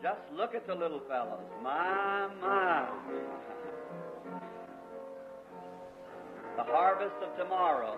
Just look at the little fellows. My, my. The harvest of tomorrow.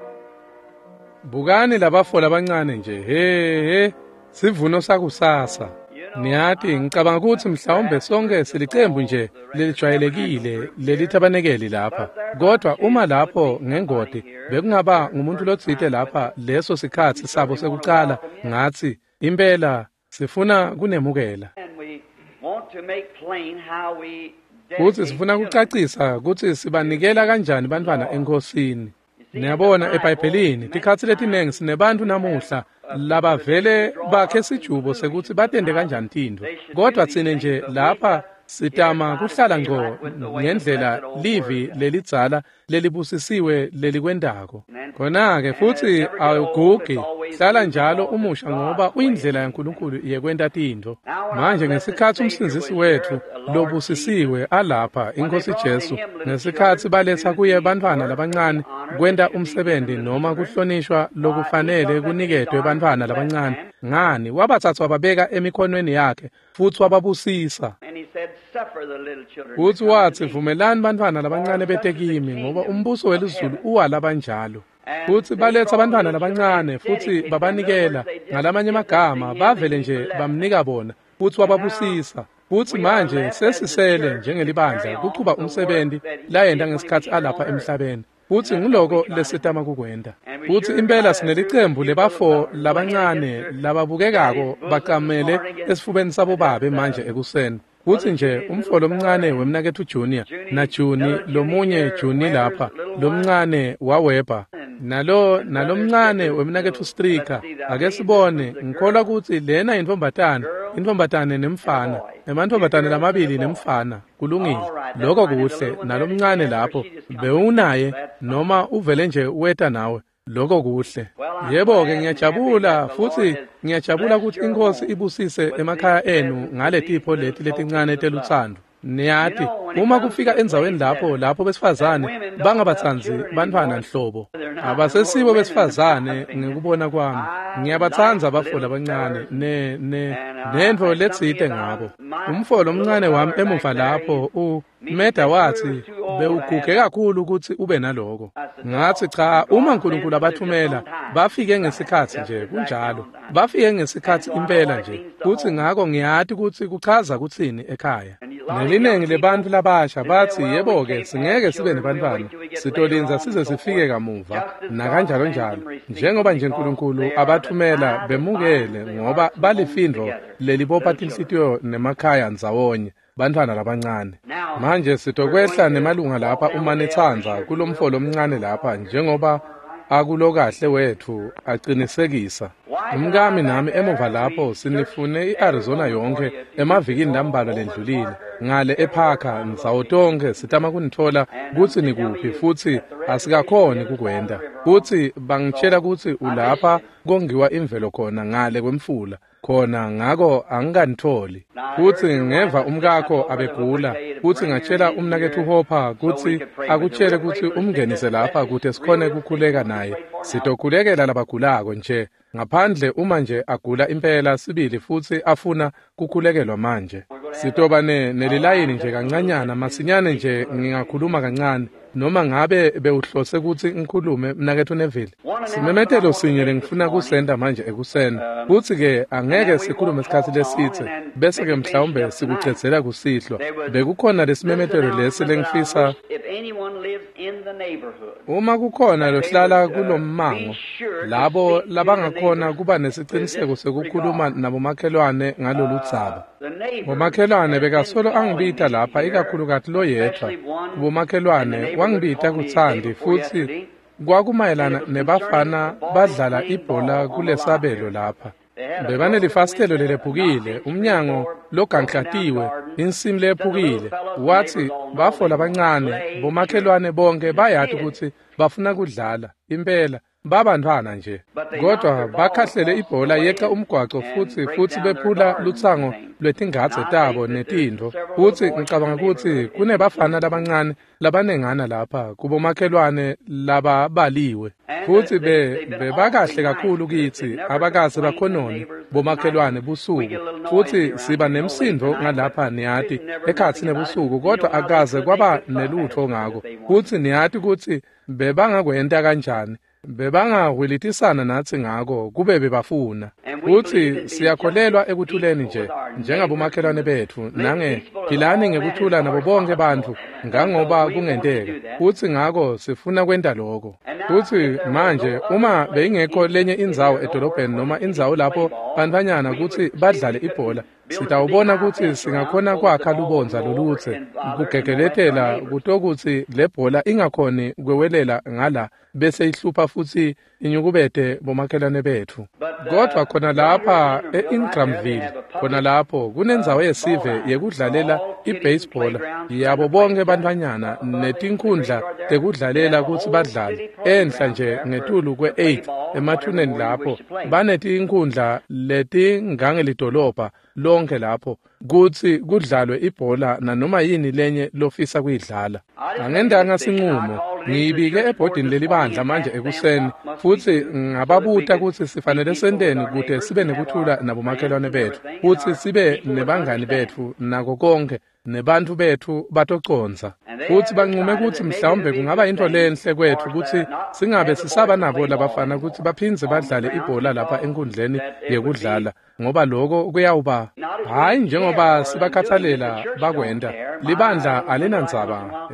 Bukani labafo labancane nje, he he, sivuno sakusasa. Niyati, ngicabanga ukuthi mhlawumbe sonke silicembu nje lelijwayelekile lelithabanekeli lapha. Kodwa uma lapho ngengodi bekungaba ngumuntu lotsite lapha leso sikhatsi sabo sekucala, ngathi impela sifuna kunemukela. And we want to make plain how we Futhi dedicate sifuna children. kucacisa kutsi sibanikela kanjani bantfwana enkosini. Niyabona eBhayibhelini tikhatsi letinengi sinebantfu namuhla labavele bakhe sijubo sekuthi batente kanjani tintfo. Kodwa tsine nje lapha sitama kuhlala ngco ngendlela livi lelidzala lelibusisiwe lelikwentako. Khona-ke futsi awugugi, hlala njalo umusha ngoba uyindlela yaNkulunkulu yekwenta tintfo. Manje ngesikhatsi umsindzisi wetfu lobusisiwe alapha iNkhosi Jesu, ngesikhatsi baletsa kuye bantfwana labancane kwenta umsebenzi noma kuhlonishwa lokufanele kuniketwe bantfwana labancane, ngani wabatsatsa wababeka emikhonweni yakhe futsi wababusisa. And he said, Suffer the little children to Futsi come to watsi me. vumelani bantfwana labancane bete kimi ngoba umbuso welizulu uwalabanjalo. Futsi baletsa bantfwana labancane futsi babanikela ngalamanye amagama bavele nje bamnika bona futsi wababusisa. Futsi manje sesisele njengelibandla kuchuba umsebenzi layenta ngesikhatsi alapha emhlabeni. Futsi nguloko lesitama kukwenta. Futsi impela sinelicembu lebafo labancane lababukekako bacamele esifubeni sabo babe manje ekuseni. Futsi nje umfo lomncane wemnaketfu Junior na Juni lomunye Juni lapha lomncane waWeber nalo nalomncane wemnaketfu Stricker. Ake sibone, ngikholwa kutsi lena intfombatane, intfombatane nemfana, emantfombatane lamabili nemfana. Kulungile, lokho kuhle. Nalomncane lapho bewunaye noma uvele nje weta nawe. Lokho kuhle. Yebo-ke ngiyajabula futsi ngiyajabula kutsi iNkhosi ibusise emakhaya enu ngaletipho leti letincane telutsandvo. Niyati, uma kufika endzaweni lapho besifazane bangabatsandzi bantfwana nhlobo. Abasesibo besifazane ngekubona kwami. Ngiyabatsandza abafo labancane ne nentfo letsite ngabo. Umfo lomncane wami emuva lapho Meda watsi bewuguge kakhulu kutsi ube naloko. Ngatsi cha, uma uNkulunkulu abathumela bafike ngesikhatsi nje kunjalo. Bafike ngesikhatsi impela nje. Kutsi ngako ngiyati kutsi kuchaza kutsini ekhaya. Nelinengi lebantfu labasha batsi yebo-ke singeke sibe nebantfwana, sitolinza size sifike kamuva nakanjalo njalo. Njengoba nje uNkulunkulu abathumela bemukele ngoba balifindvo lelibopha tinhlitiyo nemakhaya ndzawonye bantfwana labancane. Manje sitokwehla nemalunga lapha uma nitsandza kulomfo lomncane lapha njengoba akulokahle wetfu aqinisekisa. Umkami nami emuva lapho sinifune i-Arizona yonke emavikini lambalwa lendlulile ngale eParker ndzawo tonke sitama kunitfola kutsi nikuphi futsi asikakhoni kukwenta. Futsi bangitshela kutsi ulapha kongiwa imvelo khona ngale kwemfula khona, ngako angikanitholi. Futsi ngeva umkakho abegula, futsi ngatshela umnaketfu Hopper kutsi akutshele kutsi umngenise lapha kute sikhone kukhuleka naye. Sitokhulekela labagulako nje ngaphandle uma nje agula impela sibili futsi afuna kukhulekelwa manje. Sitoba nelilayini nje kancanyana masinyane nje ngingakhuluma kancane noma ngabe bewuhlose kutsi ngikhulume mnaketfu Neville. Simemetelo sinye lengifuna kusenta manje ekuseni. Futsi-ke angeke sikhulume isikhatsi lesitse bese-ke mhlawumbe sikucedzela kusihlwa. Bekukhona lesimemetelo lesi lengifisa If anyone lives in the neighborhood, uma kukhona lohlala kulommango, labo labangakhona kuba nesiciniseko sekukhuluma nabomakhelwane ngaloludzaba. the neighbor Bomakhelwane bekasolo angibita lapha ikakhulukati loyedvwa. Kubomakhelwane wangibita kutsandi futsi kwakumayelana nebafana badlala ibhola kulesabelo lapha. Bebanelifasitelo lelephukile, umnyango loganklatiwe, insimu lephukile. Watsi bafo labancane bomakhelwane bonke bayati kutsi bafuna kudlala impela. Babantfwana nje, kodwa bakhahlele ibhola yeqa umgwaco futhi bephula lutsango lwetingadze tabo netintfo. Futsi ngicabanga kutsi kunebafana labancane labanengana lapha kubomakhelwane lababaliwe, futsi bebakahle kakhulu kitsi, abakaze bakhonone bomakhelwane busuku. Futsi siba nemsindo ngalapha niyati ekhatsi nebusuku, kodwa akaze kwaba nelutfo ngako. Futsi niyati kutsi bebangakwenta kanjani, bebangahwilitisana natsi ngako kube bebafuna. Futsi siyakholelwa ekuthuleni nje njengabomakhelwane betfu, nange philani ngekuthula nabo bonke bantfu ngangoba kungenteka. Futsi ngako sifuna kwenta loko. Futsi manje uma beyingekho lenye indzawo edolobheni noma indzawo lapho bantfwanyana kutsi badlale ibhola, sitawubona kutsi singakhona kwakha lubondza lolutse kugegeletela kutokutsi le bhola ingakhoni kwewelela ngala bese ihlupha futsi inyukubete bomakhelwane betfu. Kodwa khona lapha e-Ingramville, khona lapho kunendzawo yesive yekudlalela i-baseball yabo bonke bantfwanyana netinkhundla tekudlalela kutsi badlale. Enhla nje ngetulu kwe-8 emathuneni lapho banetinkhundla letingangelidolobha lonke lapho kutsi kudlalwe ibhola nanoma yini lenye lofisa kuyidlala. Angendanga sinqumo, ngiyibike ebhodini lelibandla manje ekuseni, futsi ngababuta kutsi sifanele senteni kute sibe nekuthula nabomakhelwane betfu, futsi sibe nebangani betfu nako konke, nebantfu betfu batocondza. Futsi banqume kutsi mhlawumbe kungaba intfo lenhle kwetfu kutsi singabe sisaba nabo labafana kutsi baphindze badlale ibhola lapha enkundleni yekudlala, ngoba lokho kuyawuba hhayi njengoba sibakhathalela bakwenta. Libandla alinandzaba,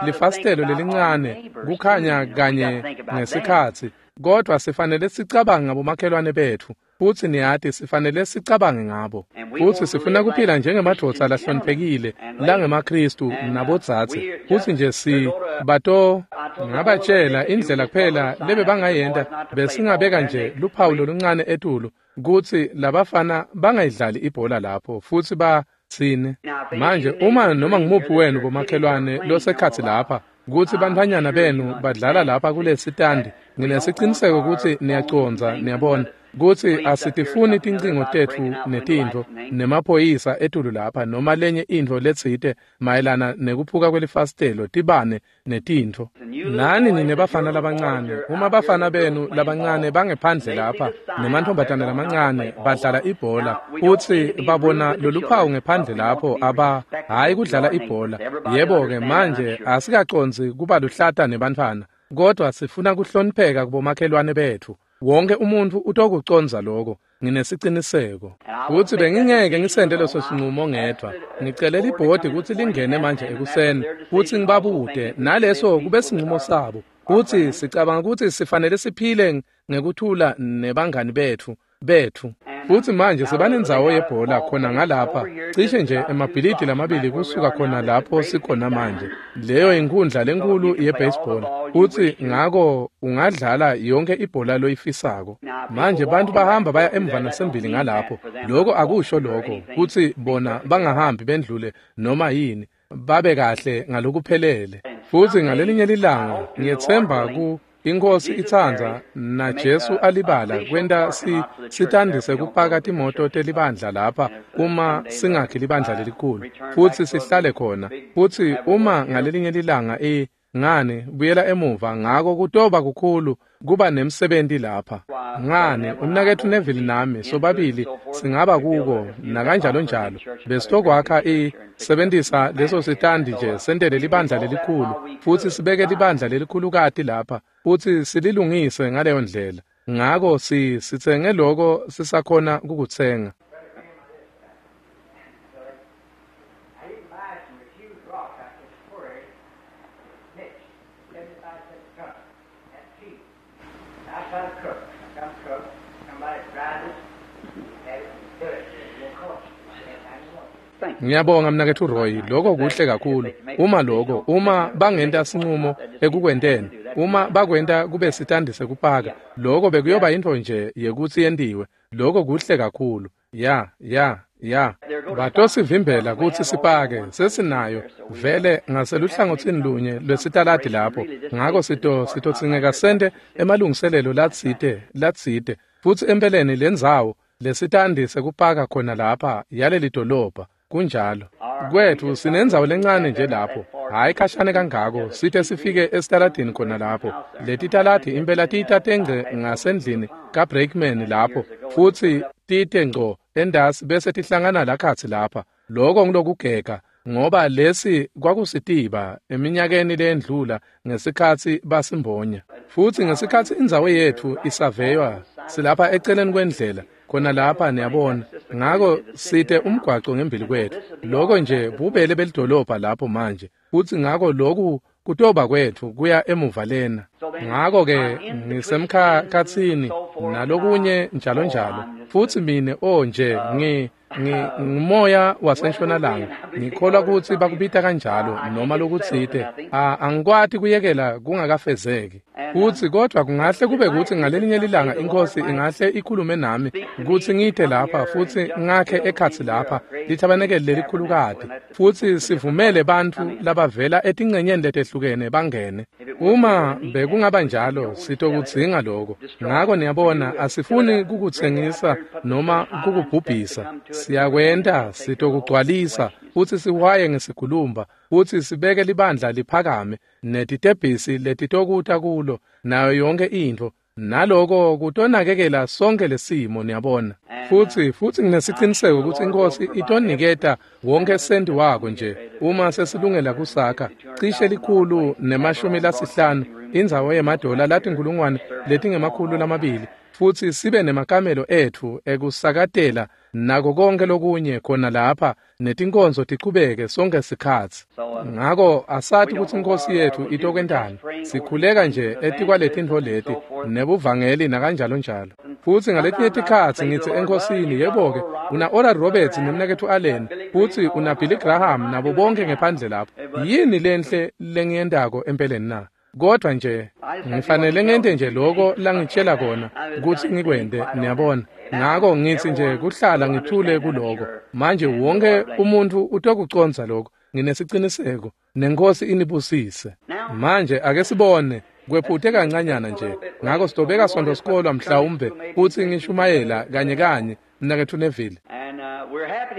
lifasitelo lelincane kukhanya kanye ngesikhatsi, kodwa sifanele sicabange ngabomakhelwane betfu. Futsi niyati sifanele sicabange ngabo. Futsi sifuna kuphila njengemadvodza lahloniphekile langemaKhristu nabodzadze. Futsi nje si bato ngabatshela indlela kuphela lebebangayenta, besingabeka nje luphawu loluncane etulu kutsi labafana bangayidlali ibhola lapho futsi batsine. Manje uma noma ngumuphi wenu bomakhelwane losekhatsi lapha kutsi bantfwanyana benu badlala lapha kulesitandi, nginesiciniseko kutsi niyacondza, niyabona kutsi asitifuni tincingo tetfu netintfo nemaphoyisa etulu lapha noma lenye intfo letsite mayelana nekuphuka kwelifasitelo, tibane netintfo. Nani nine bafana labancane, uma bafana benu labancane bangephandle lapha nemantfombatane lamancane badlala ibhola, futsi babona loluphawu ngephandle lapho, aba hhayi kudlala ibhola. Yebo-ke manje asikacondzi kuba luhlata nebantfwana, kodwa sifuna kuhlonipheka kubomakhelwane betfu. Wonke umuntfu utokucondza lokho, nginesiciniseko. Futsi bengingeke ngisente leso sinqumo ngedvwa. Ngicele libhodi kutsi lingene manje ekuseni futsi ngibabute, naleso kube sinqumo sabo. Futsi sicabanga kutsi sifanele siphile ngekuthula nebangani betfu. Futsi manje sebanendzawo yebhola khona ngalapha, cishe nje emabhilidi lamabili kusuka khona lapho sikhona manje. Leyo inkhundla lenkulu ye-baseball, futsi ngako ungadlala yonke ibhola loyifisako. Manje bantu bahamba baya emva nasembili ngalapho. Lokho akusho lokho kutsi bona bangahambi bendlule noma yini, babe kahle ngalokuphelele. Futsi ngalelinye lilanga ngiyetsemba ku Inkosi itsandza na Jesu alibala kwenta sitandise kupaka timoto telibandla lapha uma singakhi libandla lelikhulu futsi sihlale khona. Futsi uma ngalelinye lilanga ngani buyela emuva, ngako kutoba kukhulu kuba nemsebenzi lapha. Ngani umnaketfu Neville nami sobabili singaba kuko nakanjalo njalo, besitokwakha sebentisa leso sitandi nje sentele libandla lelikhulu futsi sibeke libandla lelikhulukati lapha futsi sililungise ngaleyo ndlela. Ngako sitsenge loko sisakhona kukutsenga. Ngiyabonga mnaketfu Roy, lokho kuhle kakhulu. Uma lokho, uma bangenta sinqumo ekukwenteni, uma bakwenta kube sitandi sekupaka, lokho bekuyoba intfo nje yekutsi yentiwe. Lokho kuhle kakhulu. Ya. Ya, batosivimbela kutsi sipake, sesinayo vele ngaseluhlangotsini lunye lwesitaladi lapho. Ngako sitodzingeka sente emalungiselelo latsite. Futsi empeleni lendzawo lesitandi sekupaka khona lapha yaleli dolobha. Kunjalo. Kwethu sinendzawo lencane nje lapho, hhayi khashane kangako, site sifike esitaladini khona lapho. Letitaladi impela tita tengce ngasendlini kaBreakman lapho, futsi tite ngco endasi bese tihlangana lakhatsi lapha. Loko ngilokugega, ngoba lesi kwakusitiba eminyakeni leyendlula ngesikhatsi basimbonya. Futsi ngesikhatsi indzawo yetfu isaveywa, silapha eceleni kwendlela, khona lapha niyabona. Ngako site umgwaco ngembili kwethu. Loko nje bubele belidolobha lapho manje. Futsi ngako loku kutoba kwetfu kuya emuva lena. Ngako-ke ngisemkhatsini nalokunye njalo njalo. Futsi mine nje ngimoya wasentshonalanga. Ngikholwa kutsi bakubita kanjalo noma lokutsite. Angikwati kuyekela kungakafezeki. Futsi kodwa kungahle kube kutsi ngalelinye lilanga inkosi ingahle ikhulume nami kutsi ngite lapha futsi ngakhe ekhatsi lapha lithabanekeli lelikhulukati, futsi sivumele bantfu labavela etincenyeni letehlukene bangene. Uma bekungaba njalo, sitokudzinga loko. Ngako niyabona, asifuni kukutsengisa noma kukubhubhisa. Siyakwenta, sitokugcwalisa futsi siwaye ngesigulumba, futsi sibeke libandla liphakame netitebhisi letitokuta kulo nayo yonke intfo. Naloko kutonakekela sonke lesimo, niyabona. Futsi nginesiciniseko kutsi inkosi itoniketa wonke senti wako nje uma sesilungela kusakha cishe 150 indzawo yemadola 200,000, futsi sibe nemakamelo etfu ekusakatela nako konke lokunye khona lapha, netinkonzo tichubeke sonke sikhatsi. Ngako asati kutsi inkosi yetfu itokwentani. Sikhuleka nje etikwaletinto leti nebuvangeli nakanjalo njalo. Futsi ngaletinye tikhatsi ngitsi enkosini, yebo-ke, una Oral Roberts nemnaketfu Allen, futsi una Billy Graham nabo bonke ngephandle lapho. Yini lenhle lengiyentako empeleni na? Kodwa nje ngifanele ngente nje loko langitshela kona kutsi ngikwente, niyabona. Ngako ngitsi nje kuhlala ngithule kuloko. Manje wonke umuntu utokucondza lokho, nginesiciniseko, nenkosi inibusise. Manje ake sibone, kwephute kancanyana nje. Ngako sitobeka sonto sikolwa mhlawumbe futsi ngishumayela kanye kanye mnaketfu Neville.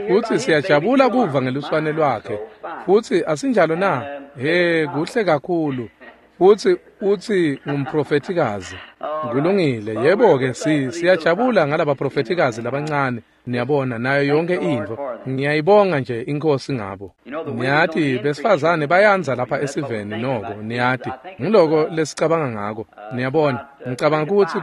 Futsi siyajabula kuva ngeluswane lwakhe. Futsi asinjalo na? He, kuhle kakhulu. Futsi utsi ngumprofethikazi. Kulungile, yebo-ke, siyajabula ngalabaprofethikazi labancane, niyabona, nayo yonke intfo. Ngiyayibonga nje inkosi ngabo. Niyati, besifazane bayandza lapha esiveni noko, niyati. Ngiloko lesicabanga ngako, niyabona. Ngicabanga kutsi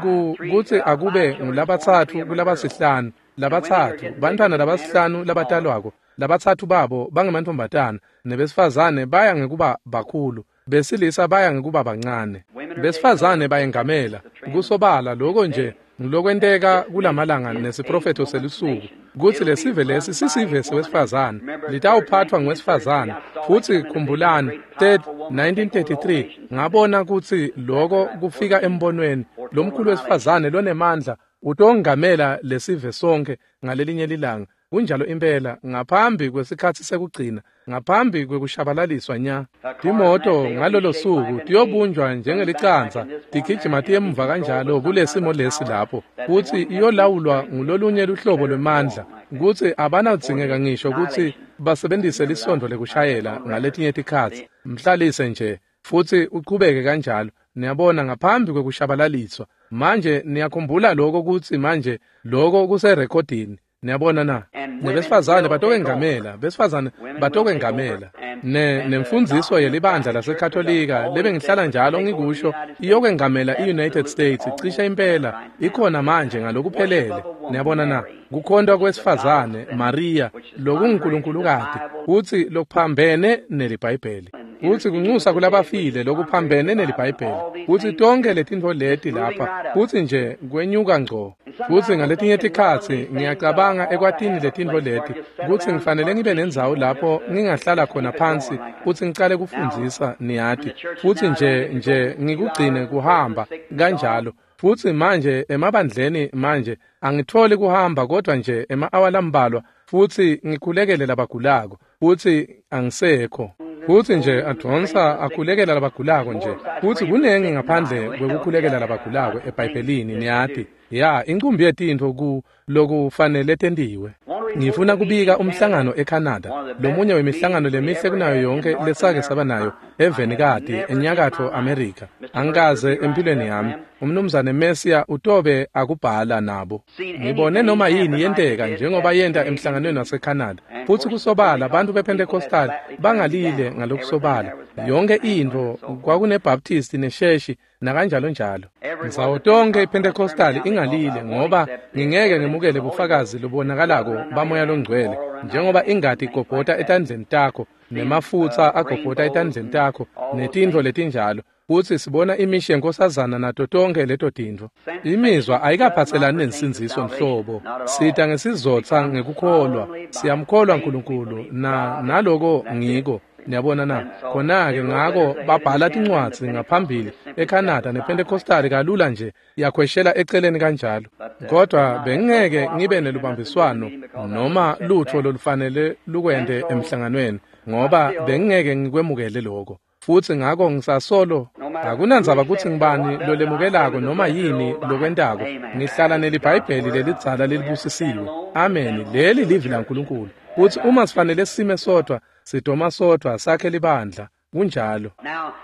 kutsi akube ngulabatsatfu kulabasihlanu, labatsatfu, bantfwana labasihlanu labatalwako, labatsatfu babo bangemantfombatana, nebesifazane baya ngekuba bakhulu. Besilisa baya ngekuba bancane. Besifazane bayengamela. Kusobala lokho nje ngilokwenteka kulamalanga nesiprofetho selusuku, kutsi lesive lesi sisive sewesifazane, litawuphathwa ngwesifazane. Futsi khumbulani 1933 ngabona kutsi loko kufika embonweni lomkhulu wesifazane lonemandla utongamela lesive sonke ngalelinye lilanga. Kunjalo impela, ngaphambi kwesikhatsi sekugcina, ngaphambi kwekushabalaliswa nya. Timoto ngalolo suku tiyobunjwa njengelicansa, tigijima tiyemuva kanjalo kulesimo lesi lapho, kutsi iyolawulwa ngulolunye luhlobo lwemandla, kutsi abanawudzingeka ngisho kutsi basebenzise lisondo lekushayela ngaletinye tikhatsi. Mhlalise nje futsi uchubeke kanjalo, niyabona, ngaphambi kwekushabalaliswa. Manje niyakhumbula lokho kutsi manje lokho kuserekhodini. Niyabona na? Nebesifazane batokwengamela, besifazane batokwengamela. Nemfundziso yelibandla laseKatolika lebengihlala njalo ngikusho iyokwengamela i-United States cishe impela ikhona manje ngalokuphelele. Niyabona na? Kukhonta kwesifazane Maria lokunguNkulunkulukazi futsi lokuphambene neliBhayibheli. Futsi kunxusa kulabafile lokuphambene neliBhayibheli. Futsi tonke letintfo leti lapha futsi nje kwenyuka ngco. Futsi ngaletinye tikhatsi ngiyacabanga ekwatini letintfo leti kutsi ngifanele ngibe nendzawo lapho ngingahlala khona phansi futsi ngicale kufundzisa, niyati. Futsi nje ngikugcine kuhamba kanjalo. Futsi manje emabandleni manje angitholi kuhamba kodwa nje ema-awa lambalwa. futsi ngikhulekele labagulako, futsi angisekho. Futsi nje advonsa akhulekela labagulako nje, futsi kunengi ngaphandle kwekukhulekela labagulako eBhayibhelini, niyati. Ya, incumbi yetintfo ku lokufanele tentiwe. Ngifuna kubika umhlangano eCanada, lomunye wemihlangano lemihle kunayo yonke lesake saba nayo evenikati eNyakatfo America. Angikaze empilweni yami umnumzane Messia utobe akubhala nabo. Ngibone noma yini yenteka njengoba yenta emhlanganweni waseCanada. Futsi kusobala abantu bePentecostal bangalile ngalokusobala. Yonke intfo kwakuneBaptist nesheshi nakanjalo njalo. Ndzawo tonke iPentecostal ingalile ngoba ngingeke ngemukele bufakazi lobonakalako bamoya longcwele njengoba ingati igobhota etandleni takho nemafutsa agobhota etandleni takho netintfo letinjalo. Futsi sibona imishi yenkosazana nato tonke leto tintfo. Imizwa ayikaphatselani nensindziso nhlobo. Sita ngesizotsa ngekukholwa. Siyamkholwa uNkulunkulu na naloko ngiko. Niyabona na? Khona-ke ngako babhala tincwadzi ngaphambili eCanada nePentecostal kalula nje yakhweshela eceleni kanjalo. Kodwa bengingeke ngibe nelubambiswano noma lutho lolufanele lukwente emhlanganweni ngoba bengingeke ngikwemukele lokho. Futsi ngako ngisasolo akunandzaba kutsi ngibani lolemukelako noma yini lokwentako, ngihlala neliBhayibheli lelidzala lelibusisiwe. Amen. Leli livi laNkulunkulu. Futsi uma sifanele sime sodwa, sidoma sodwa sakhe libandla. Kunjalo.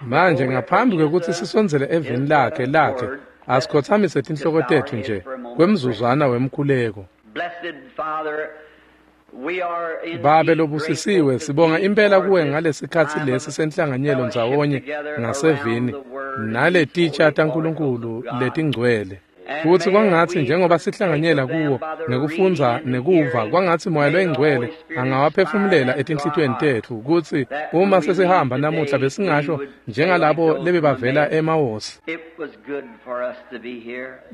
Manje ngaphambi kwekutsi sisondzele eveni lakhe asikhothamise tinhloko tetfu nje kwemzuzwana wemkhuleko. Babe lobusisiwe, sibonga impela kuwe ngalesikhatsi lesi senhlanganyelo ndzawonye ngasevini naletitsha taNkulunkulu letingcwele. Futsi kwangatsi njengoba sihlanganyela kuwo ngekufundza nekuva, kwangatsi Moya loyiNgcwele angawaphefumulela etinhlitiyweni tetfu kutsi uma sesihamba namuhla besingasho njengalabo lebebavela eMawosi.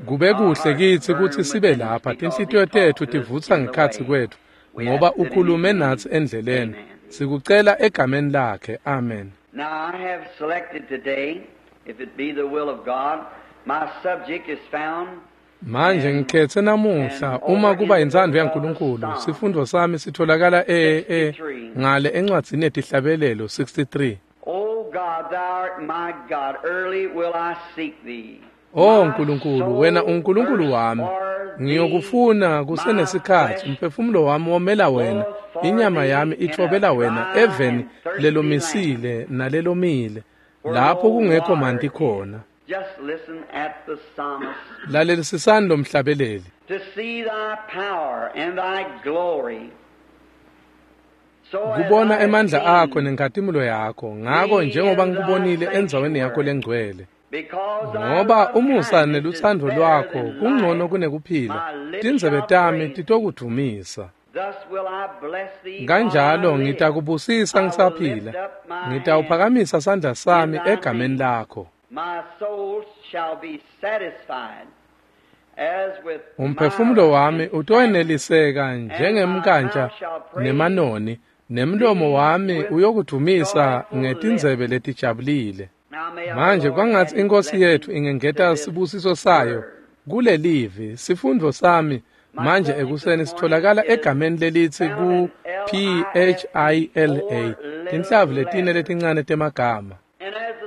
Kube kuhle kitsi kutsi sibe lapha, tinhlitiyo tetfu tivutsa ngekhatsi kwetfu ngoba ukhulume natsi endleleni. Sikucela egameni lakhe. Amen. Now I have selected today, if it be the will of God, my subject is found. Manje ngikhethe namuhla uma kuba intsandvo yaNkulunkulu, sifundo sami sitholakala ngale encwadzini yetihlabelelo 63. O God, thou art my God, early will I seek thee. O Nkulunkulu, wena uNkulunkulu wami, ngiyokufuna kusenesikhatsi. Umphefumulo wami womela wena, inyama yami ithobela wena eveni lelomisile nalelomile, lapho kungekho manti khona. Just listen at the psalmist. Lalelisisani lo mhlabeleli. To see thy power and thy glory. Kubona emandla akho nenkhatimulo yakho, ngako njengoba ngikubonile endzaweni yakho lengcwele. Ngoba umusa nelutsandvo lwakho kungcono kunekuphila, tindzebe tami titokudvumisa. Kanjalo ngitakubusisa ngisaphila, ngitawuphakamisa sandla sami egameni lakho. Umphefumulo wami utoweneliseka njengemkantsha nemanoni, nemlomo wami uyokudvumisa ngetindzebe letijabulile. Manje kwangatsi iNkosi yetfu ingengeta sibusiso sayo kulelivi. Sifundo sami manje ekuseni sitholakala egameni lelitsi ku PHILA, tinhlavu letine letincane temagama.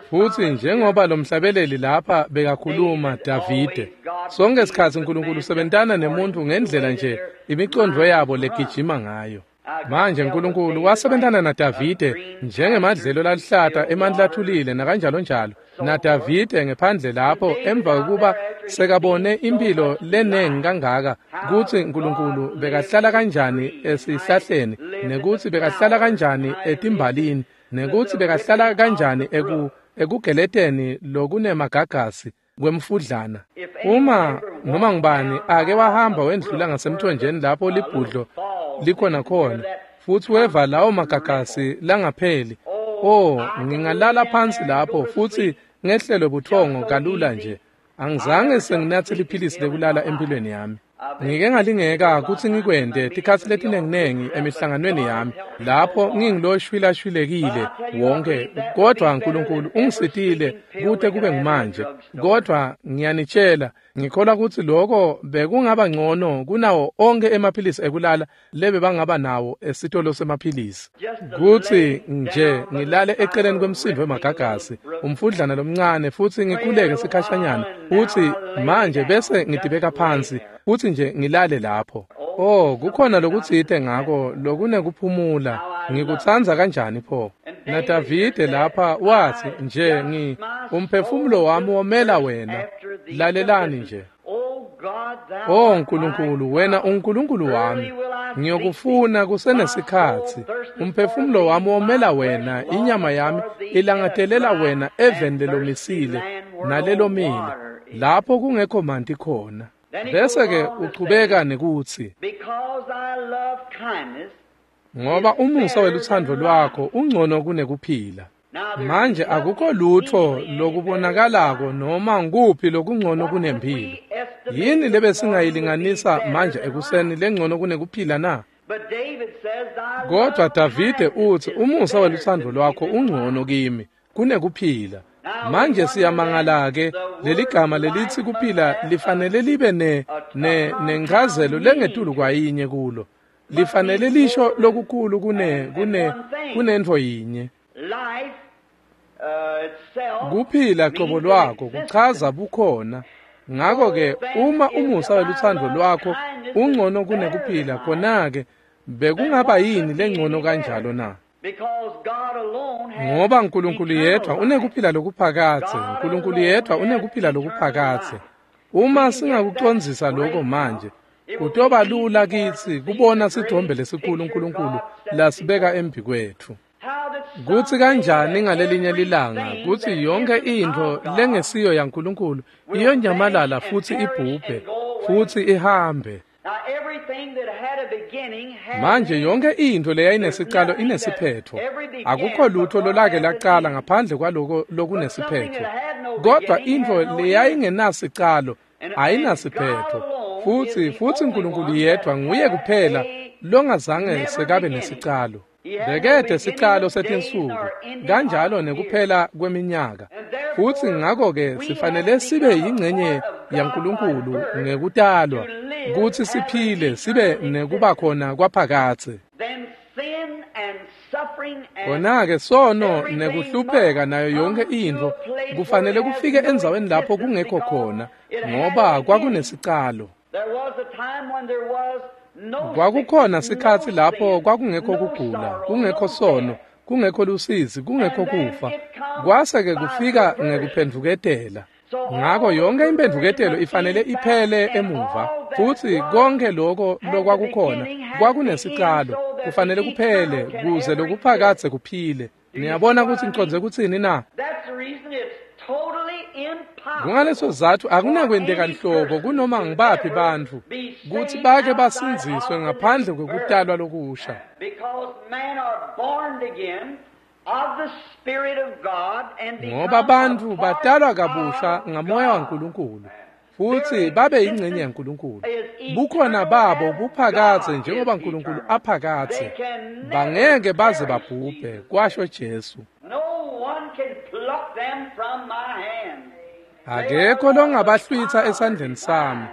Futsi njengoba lo mhlabeleli lapha bekakhuluma Davide, sonke sikhatsi uNkulunkulu usebentana nemuntu ngendlela nje imicondvo yabo legijima ngayo. Manje uNkulunkulu wasebentana naDavide njengemadlelo laluhlata emandla athulile nakanjalo njalo. NaDavide ngephandle lapho emva kokuba sekabone impilo lenengi kangaka kutsi uNkulunkulu bekahlala kanjani esihlahleni, nekutsi bekahlala kanjani etimbalini, nekutsi bekahlala kanjani ekugeleteni lokunemagagasi kwemfudlana. Uma noma ngubani ake wahamba wendlula ngasemthonjeni lapho libhudlo likhona khona, futsi weva lawo magagasi langapheli, oh, ngingalala phansi lapho futsi ngehlelwe buthongo kalula nje. Angizange senginatse liphilisi lekulala empilweni yami. Ngike ngalingeka kutsi ngikwente tikhatsi letinenginengi emihlanganweni yami lapho ngingiloshwilashwilekile wonke, kodvwa Nkulunkulu ungisitile kute kube ngumanje. Kodvwa ngiyanitshela, ngikholwa kutsi loko bekungaba ngcono kunawo onkhe emaphilisi ekulala lebebangaba nawo esitolo semaphilisi. Kutsi nje ngilale eceleni kwemsindvo wemagagasi, umfudlana lomncane, futsi ngikhuleke sikhashanyana, futsi manje bese ngitibeka phansi, futsi nje ngilale lapho. Oh, kukhona lokutsite ngako lokunekuphumula. Ngikutsandza kanjani pho. NaDavide lapha watsi nje umphefumulo wami womela wena. Lalelani nje. Oh Nkulunkulu, wena uNkulunkulu wami, ngiyokufuna kusenesikhatsi. Umphefumulo wami womela wena, inyama yami ilangatelela wena eveni lelomisile nalelomile, lapho kungekho manti khona. Bese-ke uchubeka nekutsi, ngoba umusa welutsandvo lwakho ungcono kunekuphila. Manje akukho lutho lokubonakalako noma nguphi lokungcono kunemphilo. Yini lebesingayilinganisa manje ekuseni lengcono kunekuphila na? Kodwa Davide utsi umusa welutsandvo lwakho ungcono kimi kunekuphila. Manje siyamangala-ke leligama lelitsi kuphila lifanele libe nenchazelo lengetulu kwayinye kulo. Lifanele lisho lokukhulu kunentfo yinye. Kuphila qobo lwakho kuchaza bukhona. Ngakho-ke uma umusa welutsandvo lwakho ungcono kunekuphila, khona-ke bekungaba yini lengcono kanjalo na? Ngoba Nkulunkulu yedvwa unekuphila lokuphakadze. Nkulunkulu yedvwa unekuphila lokuphakadze. Uma singakucondzisa lokho manje, kutoba lula kitsi kubona sithombe lesikhulu Nkulunkulu lasibeka embi kwetfu. Kutsi kanjani ngalelinye lilanga kutsi yonke intfo lengesiyo yaNkulunkulu iyonyamalala futsi ibhubhe futsi ihambe. Manje yonke intfo leyayinesicalo inesiphetfo. Akukho lutho lolake lacala ngaphandle kwaloko lokunesiphetfo. Kodwa intfo leyayingenasicalo ayinasiphetfo. Futsi Nkulunkulu yedvwa nguye kuphela longazange sekabe nesicalo. Bekede sicalo setinsuku, kanjalo nekuphela kweminyaka. Futsi ngakho-ke sifanele sibe yingcenye yaNkulunkulu ngekutalwa, kutsi siphile sibe nekuba khona kwaphakadze. Khona-ke sono nekuhlupheka nayo yonke intfo kufanele kufike endzaweni lapho kungekho khona, ngoba kwakunesicalo. Kwakukhona sikhatsi lapho kwakungekho kugula, kungekho sono, kungekho lusizi, kungekho kufa. Kwase-ke kufika ngekuphendvuketela. Ngakho yonke imphendvuketelo ifanele iphele emuva, futsi konke lokho lokwakukhona kwakunesicalo, kufanele kuphele kuze lokuphakadze kuphile. Niyabona kutsi ngicondze kutsini na? Kungaleso sizatfu akunakwenteka nhlobo kunoma ngibaphi bantfu kutsi bake basindziswe ngaphandle kwekutalwa lokusha. Ngoba bantfu batalwa kabusha ngamoya waNkulunkulu futsi babe yingcenye yaNkulunkulu. Bukhona babo buphakadze njengoba Nkulunkulu aphakadze. Bangeke baze babhubhe, kwasho Jesu. Akekho longabahlwitsa esandleni sami.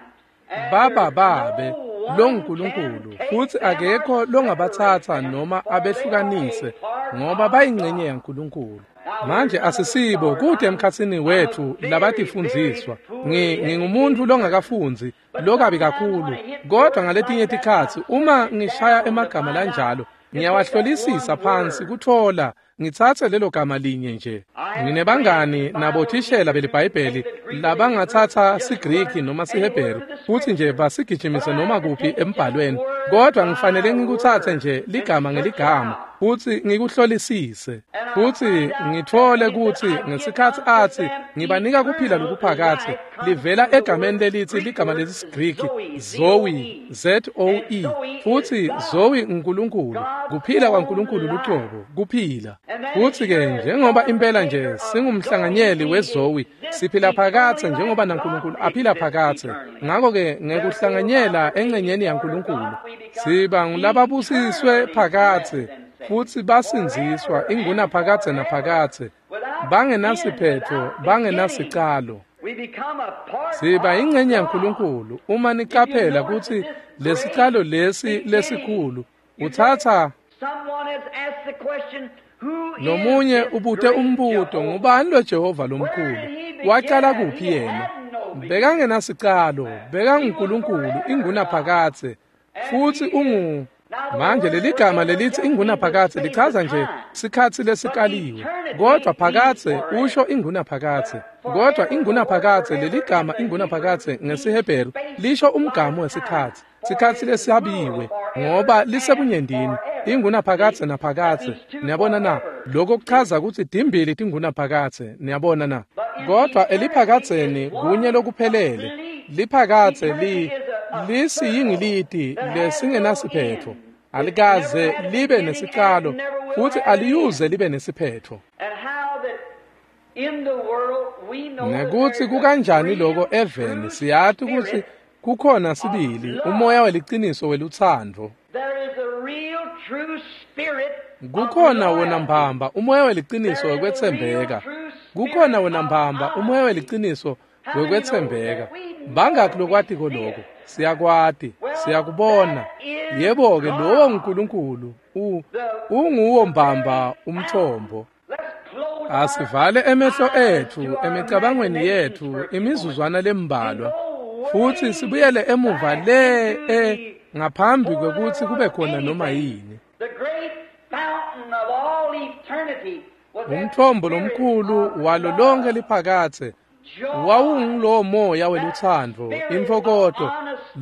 Baba babe longuNkulunkulu, futsi akekho longabatsatsa noma abehlukanise, ngoba bayingcenye yaNkulunkulu. Manje asisibo kude emkhatsini wethu labatifundziswa. Ngingumuntfu longakafundzi, lokabi kakhulu, kodwa ngaletinye tikhatsi uma ngishaya emagama lanjalo, ngiyawahlolisisa phansi kutfola ngitsatse lelo gama linye nje. Nginebangani nabothishela beliBhayibheli labangatsatsa siGriki noma siHebheru futsi nje basigijimise noma kuphi embhalweni, kodwa ngifanele ngikutsatse nje ligama ngeligama futsi ngikuhlolisise, futsi ngitfole kutsi ngesikhatsi atsi ngibanika kuphila lokuphakadze, livela egameni lelitsi ligama lesiGriki Zoe, Z-O-E, futsi Zoe nguNkulunkulu, kuphila kwaNkulunkulu lucobo, kuphila. Futsi-ke njengoba impela nje singumhlanganyeli weZoe, siphila phakadze njengoba naNkulunkulu aphila phakadze. Ngako-ke ngekuhlanganyela engcenyeni yaNkulunkulu siba ngulababusiswe phakadze futsi basindziswa ingunaphakadze naphakadze, bangenasiphetho, bangenasicalo. Siba ingcenye yaNkulunkulu. Uma nicaphela kutsi lesicalo lesi lesikhulu utsatsa lomunye ubute umbuto, ngubani lo Jehova lomkhulu? Wacala kuphi yena? Bekangenasicalo, bekanguNkulunkulu ingunaphakadze, futsi ungu. Manje leligama lelithi ingunaphakadze lichaza nje sikhatsi lesikaliwe, kodvwa phakadze usho ingunaphakadze. Kodvwa ingunaphakadze, leligama ingunaphakadze ngesiHebheru lisho umgamu wesikhatsi, sikhatsi lesihabiwe, ngoba lisebunyendini, ingunaphakadze naphakadze. Niyabona na? Lokho kuchaza kutsi timbili tingunaphakadze. Niyabona na? Kodvwa eliphakadzeni kunye lokuphelele. Liphakadze lisiyingiliti lesingenasiphetho, alikaze libe nesicalo futsi aliyuze libe nesiphetho. Nekutsi kukanjani loko eveni, siyati kutsi kukhona sibili umoya weliciniso welutsandvo. Kukhona wona mbamba umoya weliciniso wekwetsembeka. Kukhona wona mbamba umoya weliciniso wekwetsembeka. Bangakhi lokwatiko lokho? Siyakwati, siyakubona. Yebo-ke, lowo nguNkulunkulu, unguwo mbamba umthombo. Asivale emehlo etfu emicabangweni yetfu imizuzwana lembalwa, futsi sibuyele emuva le ngaphambi kwekutsi kube khona noma yini. Umthombo lomkhulu walo lonke liphakadze wawungulowo moya welutsandvo, intfokoto,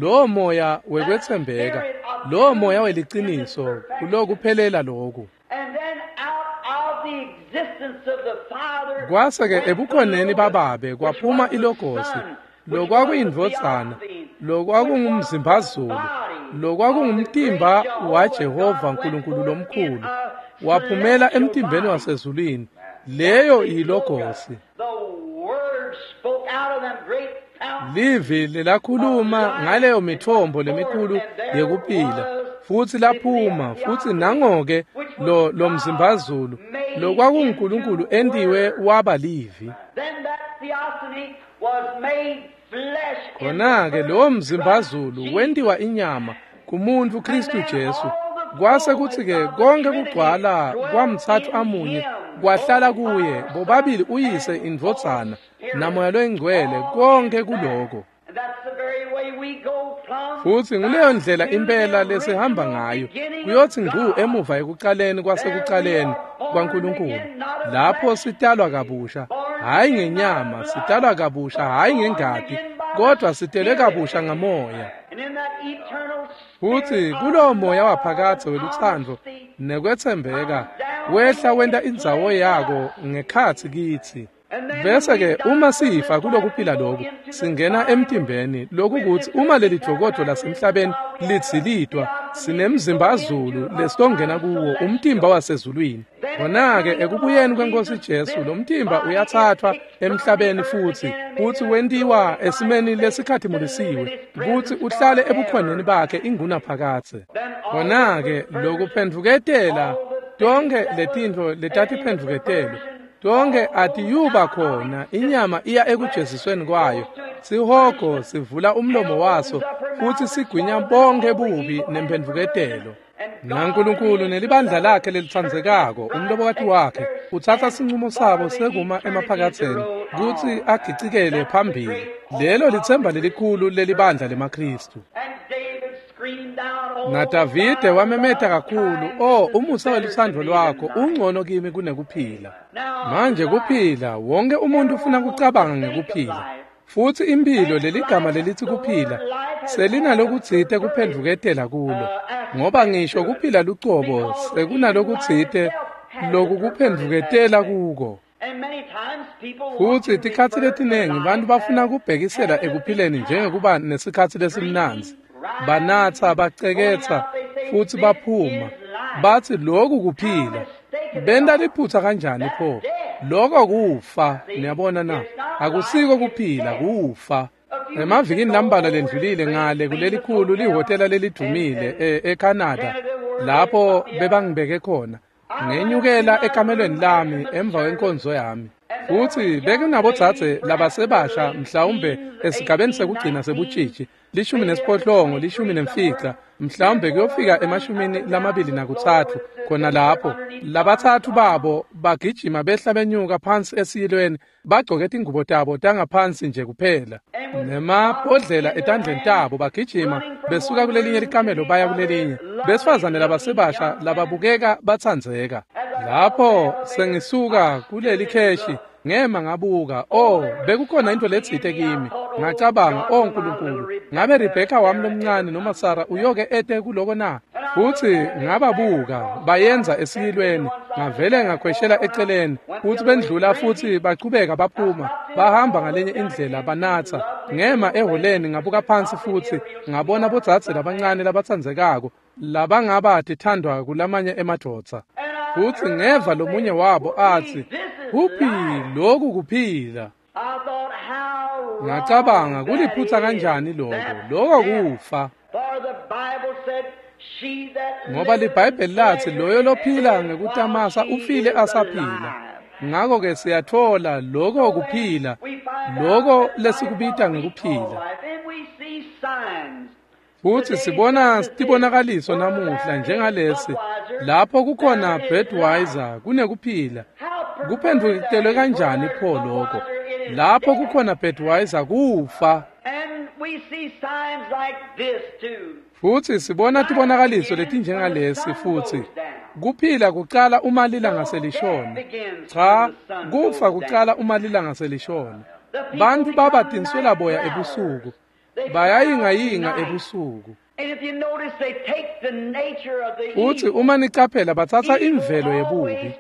lowo moya wekwetsembeka, lowo moya weliciniso, kulokuphelela loku. Kwase-ke ebukhoneni bababe kwaphuma ilogosi, lokwakuyindvodzana, lokwakungumzimbazulu, lokwakungumtimba waJehova Nkulunkulu lomkhulu, waphumela emtimbeni wasezulwini. Leyo yilogosi. Livi lelakhuluma ngaleyo mithombo lemikhulu yekuphila, futsi laphuma, futsi nangoke lo mzimbazulu lokwakunguNkulunkulu entiwe waba livi. Khona-ke lowo mzimbazulu wentiwa inyama kumuntu Kristu Jesu. Kwase kutsi-ke konke kugcwala kwamtsatfu amunye kwahlala kuye, bobabili uyise indvodzana namoya loyingcwele, konke kuloko. Futsi nguleyo ndlela impela lesihamba ngayo, kuyotsi ngcu emuva ekucaleni kwasekucaleni kwaNkulunkulu, lapho sitalwa kabusha, hhayi ngenyama, sitalwa kabusha hhayi ngengati, kodwa sitelwe kabusha ngamoya. Futsi kulowo moya waphakadze welutsandvo nekwetsembeka wehla wenta indzawo yako ngekhatsi kitsi. Bese-ke uma sifa kulokuphila loku, singena emtimbeni, lokukutsi uma leli dvokodvo lasemhlabeni lidzilitwa, sinemzimbazulu lesitongena kuwo, umtimba wasezulwini. Khona-ke ekubuyeni kweNkosi Jesu, lo mtimba uyathathwa emhlabeni futsi wentiwa esimeni lesikhatimulisiwe, kutsi uhlale ebukhoneni bakhe ingunaphakadze. Khona-ke lokuphendvuketela tonkhe letintfo letatiphendvuketelwe, tonke atiyuba khona, inyama iya ekujezisweni kwayo. Sihogo sivula umlomo waso futsi sigwinya bonke bubi nemphendvuketelo. NaNkulunkulu nelibandla lakhe lelitsandzekako, umlobokati wakhe, utsatsa sincumo sabo sekuma emaphakatseni kutsi agicikele phambili. Lelo litsemba lelikhulu lelibandla lemaKhristu. NaDavide wamemeta kakhulu, "Oh, umusa welutsandvo lwakho ungcono kimi kunekuphila." Manje kuphila, wonke umuntu ufuna kucabanga ngekuphila. Futsi imphilo, leligama lelithi kuphila, selinalokutsite kuphendvuketela kulo, ngoba ngisho kuphila lucobo sekunalokutsite lokukuphendvuketela kuko. Futsi tikhatsi letinengi bantfu bafuna kubhekisela ekuphileni njengekuba nesikhatsi lesimnandzi. Banatsa, baceketsa, futsi baphuma. Batsi loku kuphila. Benta liphutsa kanjani pho? Lokho kufa, niyabona na? Akusiko kuphila, kufa. Emavikini lambalwa lendlulile ngale kulelikhulu lihhotela lelidumile eCanada, lapho bebangibeke khona. Ngenyukela ekamelweni lami emva kwenkonzo yami. Futhi bekunabodzadze labasebasha mhlawumbe esigabeni sekugcina sebutshitshi, 18, 15, mhlawumbe kuyofika 23 khona lapho. Labatsatfu babo bagijima behla benyuka phansi esiyilweni, bagcoke tingubo tabo tangaphansi nje kuphela, nemabhodlela etandleni tabo, bagijima besuka kulelinye likamelo baya kulelinye. Besifazane labasebasha lababukeka batsandzeka. Lapho sengisuka kuleli kheshi, ngema ngabuka, oh, bekukhona into letsite kimi. Ngacabanga, oh Nkulunkulu, ngabe Rebecca wami lomncane noma Sarah uyoke ete kuloko na? Futhi ngababuka bayenza esiyilweni, ngavele ngakhweshela eceleni, futhi bendlula futhi bachubeka baphuma, bahamba ngalenye indlela banatsa. Ngema eholeni ngabuka phansi futhi ngabona bodzadze labancane labatsandzekako labangaba tithandwa kulamanye emadvodza. Futhi ngeva lomunye wabo athi, "Kuphi lokhu kuphila?" Ngacabanga, kuliphutsa kanjani lokho? Lokho kufa. Ngoba liBhayibheli lathi loyo lophila ngekutamasa ufile asaphila. Ngakho-ke siyathola lokho kuphila, lokho lesikubita ngekuphila. Futhi sibona tibonakaliso namuhla njengalesi, lapho kukhona Budweiser kunekuphila. Kuphendvuketelwe kanjani pho lokho? Lapho kukhona Budweiser kufa. Futhi sibona tibonakaliso letinjengalesi futhi. Kuphila kucala uma lilanga selishona. Cha, kufa kucala uma lilanga selishona. Bantu baba tinswelaboya ebusuku. Bayayingayinga ebusuku. Futhi uma nicaphela batsatsa imvelo yebubi.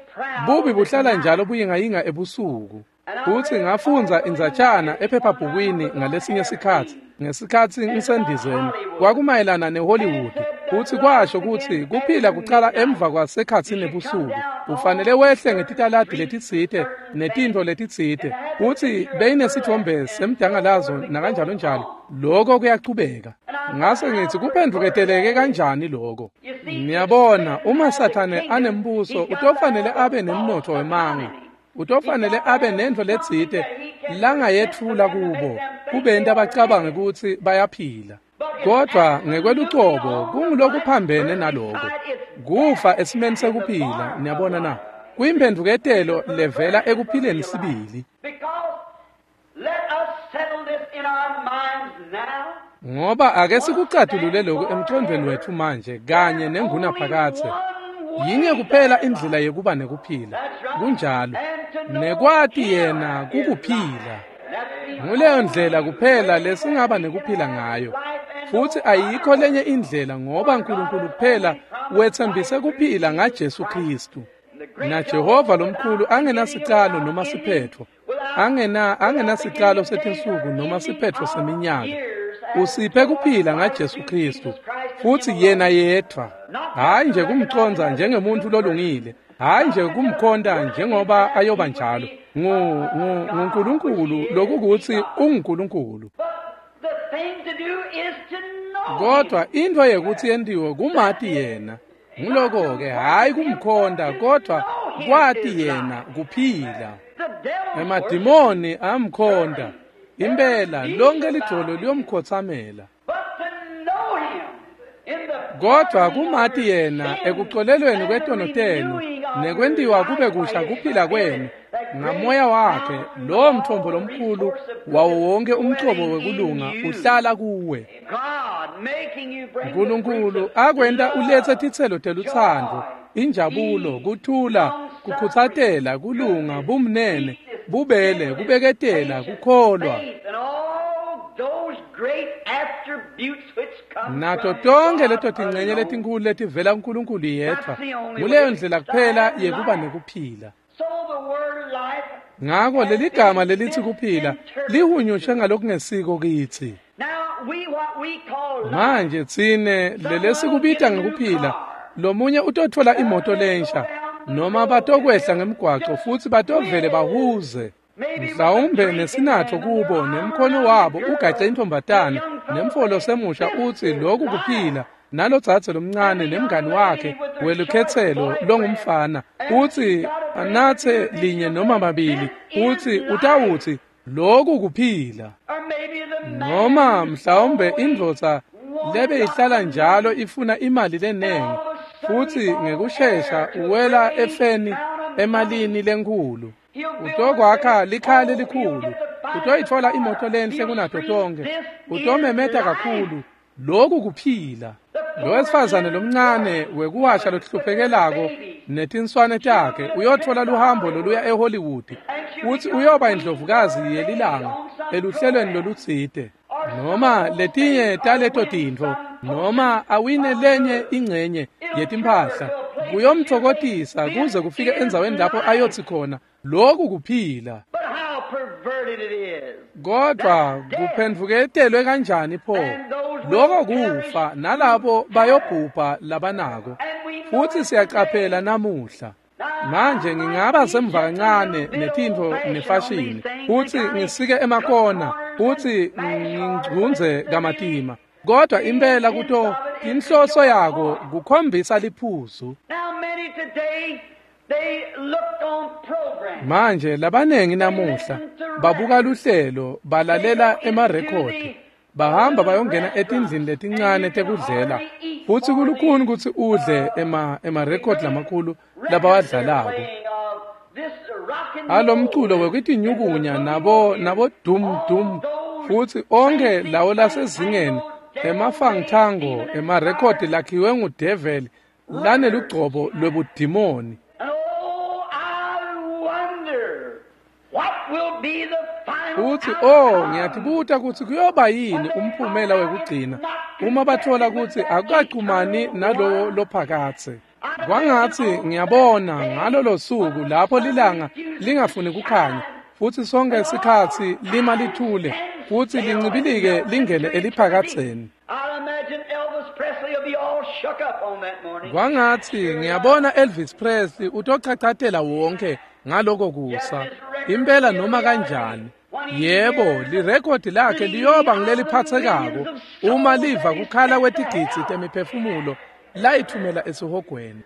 Bubi buhlala njalo buyingayinga ebusuku. Futhi ngafundza indzatshana ephephabhukwini ngalesinye sikhatsi, ngesikhatsi ngisendizeni, kwakumayelana neHollywood. Futhi kwasho ukuthi kuphila kucala emva kwasekhatsini nebusuku. Ufanele wehle ngetitaladi letitsite netintfo letitsite. Futhi beyinesithombe semdangalazo nakanjalo njalo. Lokho kuyachubeka. Ngase ngithi kuphendvuketeleke kanjani lokho? Niyabona, uma Sathane anembuso utofanele abe nemnotfo wemanga. Utofanele abe nentfo letsite langayetfula kubo, kubenta bacabange ukuthi bayaphila. Kodwa ngekwelucobo kungulokuphambene naloko. Kufa esimeni sekuphila, niyabona na? Kuyimphendvuketelo levela ekuphileni sibili. Ngoba ake sikucatulule lokhu emqondweni wethu manje kanye nengunaphakadze. Yinye kuphela indlela yekuba nekuphila. Kunjalo. Nekwati yena kukuphila. Nguleyo ndlela kuphela lesingaba nekuphila ngayo. Futhi ayikho lenye indlela ngoba uNkulunkulu kuphela wethembise kuphila ngaJesu Kristu. Na Jehova lomkhulu angenasicalo noma siphetho. Angenasicalo setinsuku noma siphetho seminyaka. Usiphe kuphila ngaJesu Kristu. Futhi yena yedwa. Hayi nje kumconza njengemuntu lolungile. Hayi nje kumkhonta njengoba ayoba njalo. NguNkulunkulu lokukuthi unguNkulunkulu. Kodwa into yekuthi yentiwe kumati yena. Nguloko-ke hhayi kumkhonta kodwa kwati yena kuphila. Emadimoni amkhonta. Impela lonke lidvolo liyomkhotsamela. Kodwa kumati yena ekucolelweni kwetono tenu nekwentiwa kube kusha kuphila kwenu ngamoya wakhe, lowo mthombo lomkhulu wawo wonke umcobo wekulunga uhlala kuwe. Nkulunkulu akwenta uletse titselo telutsandvo, injabulo, kuthula, kukhutsatela, kulunga, bumnene, bubele, kubeketela, kukholwa. Nato tonke leto tincenye letinkulu letivela kuNkulunkulu yedvwa. Nguleyo ndlela kuphela yekuba nekuphila. Ngako leligama lelithi kuphila lihunyushwe ngalokungesiko kitsi. Manje tsine lelesikubita ngekuphila, lomunye utotfola imoto lensha, noma batokwehla ngemgwaco futsi batovele bahuze. Mhlawumbe nesinatfo kubo nemkhono wabo ugace intombatana nemfolo semusha utsi lokhu kuphila, nalodzadze lomncane nemngani wakhe welukhetselo longumfana utsi anatse linye noma mabili, utsi utawutsi lokhu kuphila. Noma mhlawumbe indvodza lebe ihlala njalo ifuna imali lenengi futsi ngekushesha uwela efeni emalini lenkhulu. Utokwakha likhaya lelikhulu, utoyitfola imoto lenhle kunato tonkhe, utomemeta kakhulu, lokhu kuphila. Lo wesifazane lomncane wekuwasha lohlupekelako netinswane takhe uyotfola luhambo loluya eHollywood futsi uyoba indlovukazi yelilanga eluhlelweni lolutsite, noma letinye taleto tintfo, noma awine lenye ingcenye yetimphahla. Kuyomtfokotisa kuze kufike endzaweni lapho ayotsi khona lokhu kuphila. Kodwa kuphendvuketelwe kanjani pho? Lokho kufa, nalabo bayobhubha labanako. Futsi siyacaphela namuhla. Manje ngingaba semva kancane netintfo nefashini, futsi ngisike emakona, futsi ngingcundze kamatima. Kodwa impela kuto inhloso yako kukhombisa liphuzu. Manje labanengi namuhla babuka luhlelo, balalela emarekhodi, bahamba bayongena etindlini letincane tekudlela, futsi kulukhuni kutsi udle emarekhodi lamakhulu labawadlalako. Alomculo wekutinyukunya nabo dum dum, futsi onke lawo lasezingeni emafangthango emarekhodi lakhiwe ngudeveli lanelugcobo lwebudimoni. Utsi, oh, ngiyatibuta kutsi kuyoba yini umphumela wekugcina uma batfola kutsi akukachumani nalowo lophakatse. Kwangatsi ngiyabona ngalolo suku lapho lilanga lingafuni kukhanya futsi sonke sikhatsi lima lithule futsi lincibilike lingene eliphakatseni. Kwangatsi ngiyabona Elvis Presley utochachatela wonke ngaloko kusa. Impela noma kanjani. Yebo, lirekhodi lakhe liyoba ngileliphathekako uma liva kukhala kwetigidzi temiphefumulo layithumela esihogweni.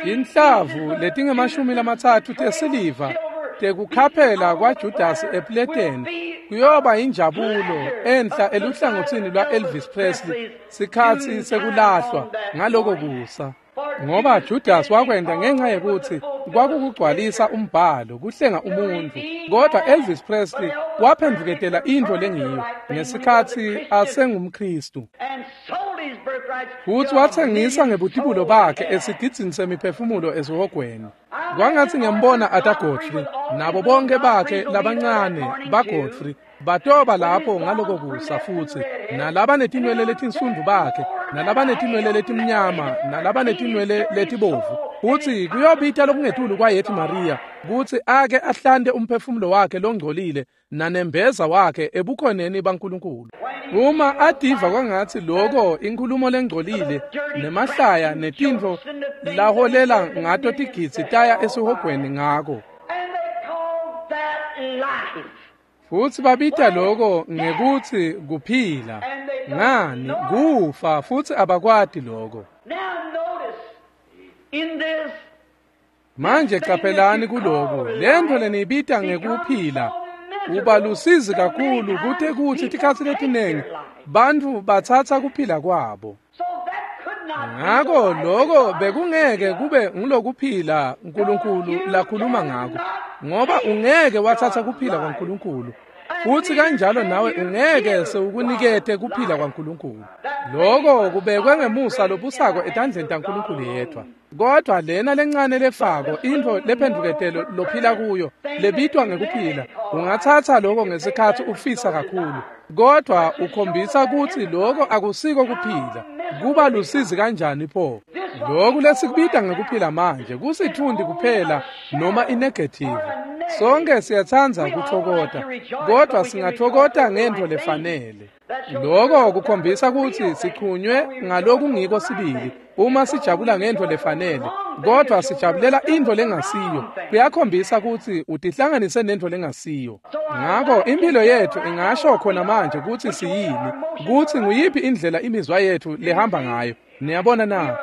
Inhlavu letingemashumi lamatsatfu tesiliva tekukhaphela kwaJudasi epleteni kuyoba injabulo enhla eluhlangotsini lwa Elvis Presley sikhatsi sekulahlwa ngaloko kusa. Ngoba Judas wakwenda ngenxa yekuthi kwakukugcwalisa umbhalo kuhlenga umuntu, kodwa Elvis Presley waphendvuketela intfo lengiyo ngesikhatsi asengumKhristu. Futsi watsengisa ngebutibulo bakhe esigidzini semiphefumulo esihogweni. Kwangatsi ngiyambona Arthur Godfrey nabo bonke bakhe labancane baGodfrey batoba lapho ngaloko kusa, futsi nalabanetinwele letinsundu bakhe, nalabanetinwele letimnyama, nalabanetinwele letibovu. Futsi kuyobita lokungetulu kwaYethi Maria kutsi ake ahlante umphefumulo wakhe longcolile nanembeza wakhe ebukhoneni baNkulunkulu. Uma ativa kwangatsi loko inkhulumo lengcolile nemahlaya netintfo laholela ngato tigidzi taya esihogweni ngako. Futsi babita loko ngekutsi kuphila. Ngani kufa, futsi abakwati loko. Manje caphelani kuloko, lentfo leniyibita ngekuphila uba lusizi kakhulu kute kutsi tikhatsi letinengi bantfu batsatsa kuphila kwabo. Ngako loko bekungeke kube ngulokuphila uNkulunkulu lakhuluma ngako, ngoba ungeke watsatsa kuphila kwaNkulunkulu, futsi kanjalo nawe ungeke sewukunikete kuphila kwaNkulunkulu. Loko kubekwe ngemusa lobusako etandleni taNkulunkulu yedwa. Kodwa lena lencane lefako intfo lephendvuketelo lophila kuyo lebitwa ngekuphila, ungatsatsa loko ngesikhatsi ufisa kakhulu, kodwa ukhombisa kutsi loko akusiko kuphila. Kuba lusizi kanjani pho? Loku lesikubita ngekuphila manje kusitfundi kuphela noma inegative. Sonke siyatsandza kutfokota, kodwa singatfokota ngentfo lefanele. Loko kukhombisa kutsi sichunywe ngalokungiko sibili uma sijabula ngentfo lefanele. kodwa sijabulela intfo lengasiyo, kuyakhombisa kutsi utihlanganise nentfo lengasiyo. Ngako impilo yetfu ingasho khona manje kutsi siyini, kutsi nguyiphi indlela imizwa yetfu lehamba ngayo. Niyabona na?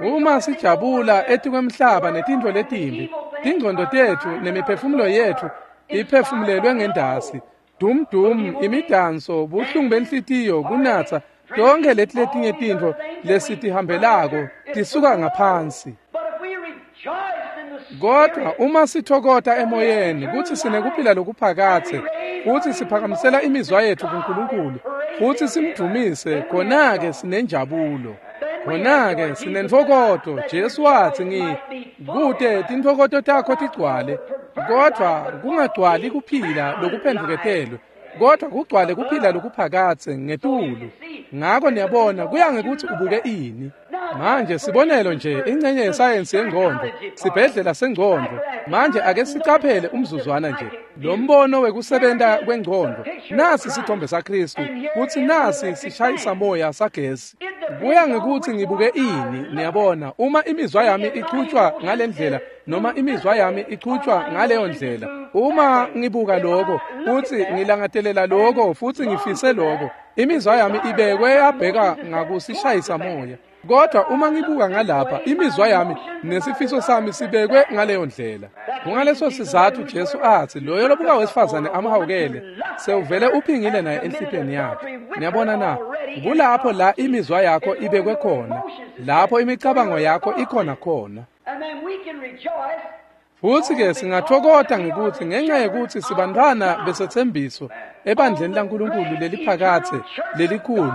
Uma sijabula etikwemhlaba netintfo letimbi, tingcondo tetfu nemiphefumulo yetfu iphefumulelwe ngendasi. Dum dum, imidanso, buhlungu benhlitiyo, kunatsa, tonke leti letinye tintfo lesitihambelako tisuka ngaphansi. Kodwa uma sithokota emoyeni kutsi sinekuphila lokuphakatse, futsi siphakamisela imizwa yetfu kuNkulunkulu, futsi simdumise, khona-ke sinenjabulo. Khona-ke sinentfokoto. Jesu watsi kute tintfokoto takho tigcwale, kodvwa kungagcwali kuphila lokuphendvuketelwe, kodwa kugcwale kuphila lokuphakatse ngetulu. Ngako niyabona kuya ngekuthi ubuke ini. Manje sibonelo nje ingcenye yesayensi yengcondvo, sibhedlela sengcondvo. Manje ake sicaphele umzuzwana nje lo mbono wekusebenta kwengcondvo. Nasi sithombe saKristu, kutsi nasi sishayisa moya sagesi. Kuya ngekuthi ngibuke ini, niyabona, uma imizwa yami ichutshwa ngalendlela noma imizwa yami ichutshwa ngaleyo ndlela. Uma ngibuka lokho, futhi ngilangatelela lokho, futhi ngifise lokho, imizwa yami ibekwe yabheka ngakusishayisa moya. Kodwa uma ngibuka ngalapha, imizwa yami nesifiso sami sibekwe ngaleyo ndlela. Kungaleso sizathu Jesu athi loyo lobuka wesifazane amhawukele sewuvele uphingile naye enhlitiyweni yakhe. Niyabona na? Kulapho la imizwa yakho ibekwe khona, lapho imicabango yakho ikhona khona. Futsi-ke singathokota ngekuthi ngenxa yekuthi sibantwana besethembiso ebandleni laNkulunkulu leliphakathe lelikhulu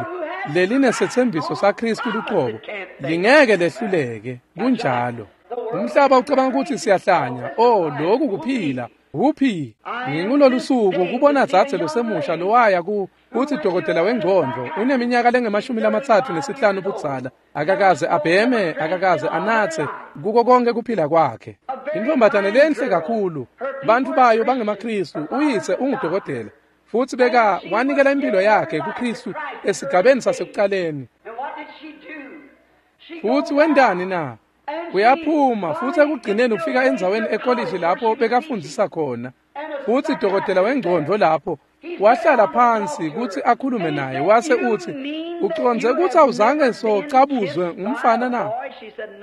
lelinesethembiso saKristu luqobo, lingeke lehluleke. Kunjalo. Umhlaba ucabanga ukuthi siyahlanya. Oh, lokhu kuphila. Uphi? Ngingulolu suku kubona dzadze losemusha lowaya kuthi dokotela wengcondvo uneminyaka lengama-35 budzala, akakaze abheme, akakaze anatse kuko konke kuphila kwakhe. Intombatane lenhle kakhulu, bantfu bayo bangemaKristu, uyise ungudokotela, futsi beka wanikela impilo yakhe kuKristu esigabeni sasekucaleni. Futsi wentani na? Uyaphuma futsi ekugcineni ufika endzaweni ekolishi lapho bekafundzisa khona. Futsi dokotela wengcondvo lapho wahlala phansi kutsi akhulume naye, wase utsi, ucondze kutsi awuzange socabuzwe ngumfana na?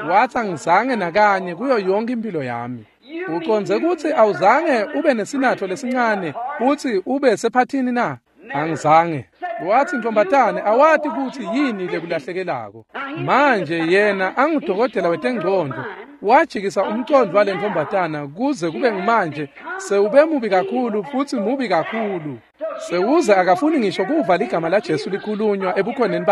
Wathi angizange nakanye kuyo yonke impilo yami. Ucondze kutsi awuzange ube nesinatfo lesincane futsi ube sephathini na? Angizange. Wathi ntombatane awati kutsi yini lekulahlekelako. Manje yena angudokotela wetengcondvo, wajikisa umcondvo walentombatana kuze kube ngimanje sewube mubi kakhulu futsi mubi kakhulu. Sewuze akafuni ngisho kuva ligama la Jesu likhulunywa ebukhoneni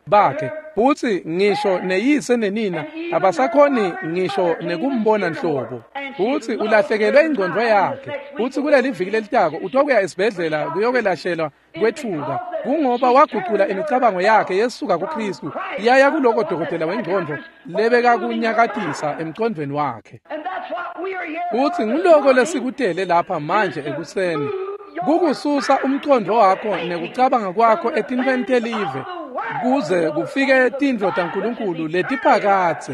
bakhe futsi ngisho neyise nenina abasakhoni ngisho nekumbona nhlobo. Futsi ulahlekelwe ingcondvo yakhe. Futsi kuleli viki lelitako utokuya esibhedlela kuyokwelashelwa kwethuka, kungoba wagucula imicabango yakhe yesuka kuKristu yaya kuloko dokotela wengcondvo lebekakunyakatisa emcondvweni wakhe. Futsi nguloko lesikutele lapha manje ekuseni, kukususa umcondvo wakho nekucabanga kwakho etintfweni telive kuze kufike tintfo taNkulunkulu letiphakatse.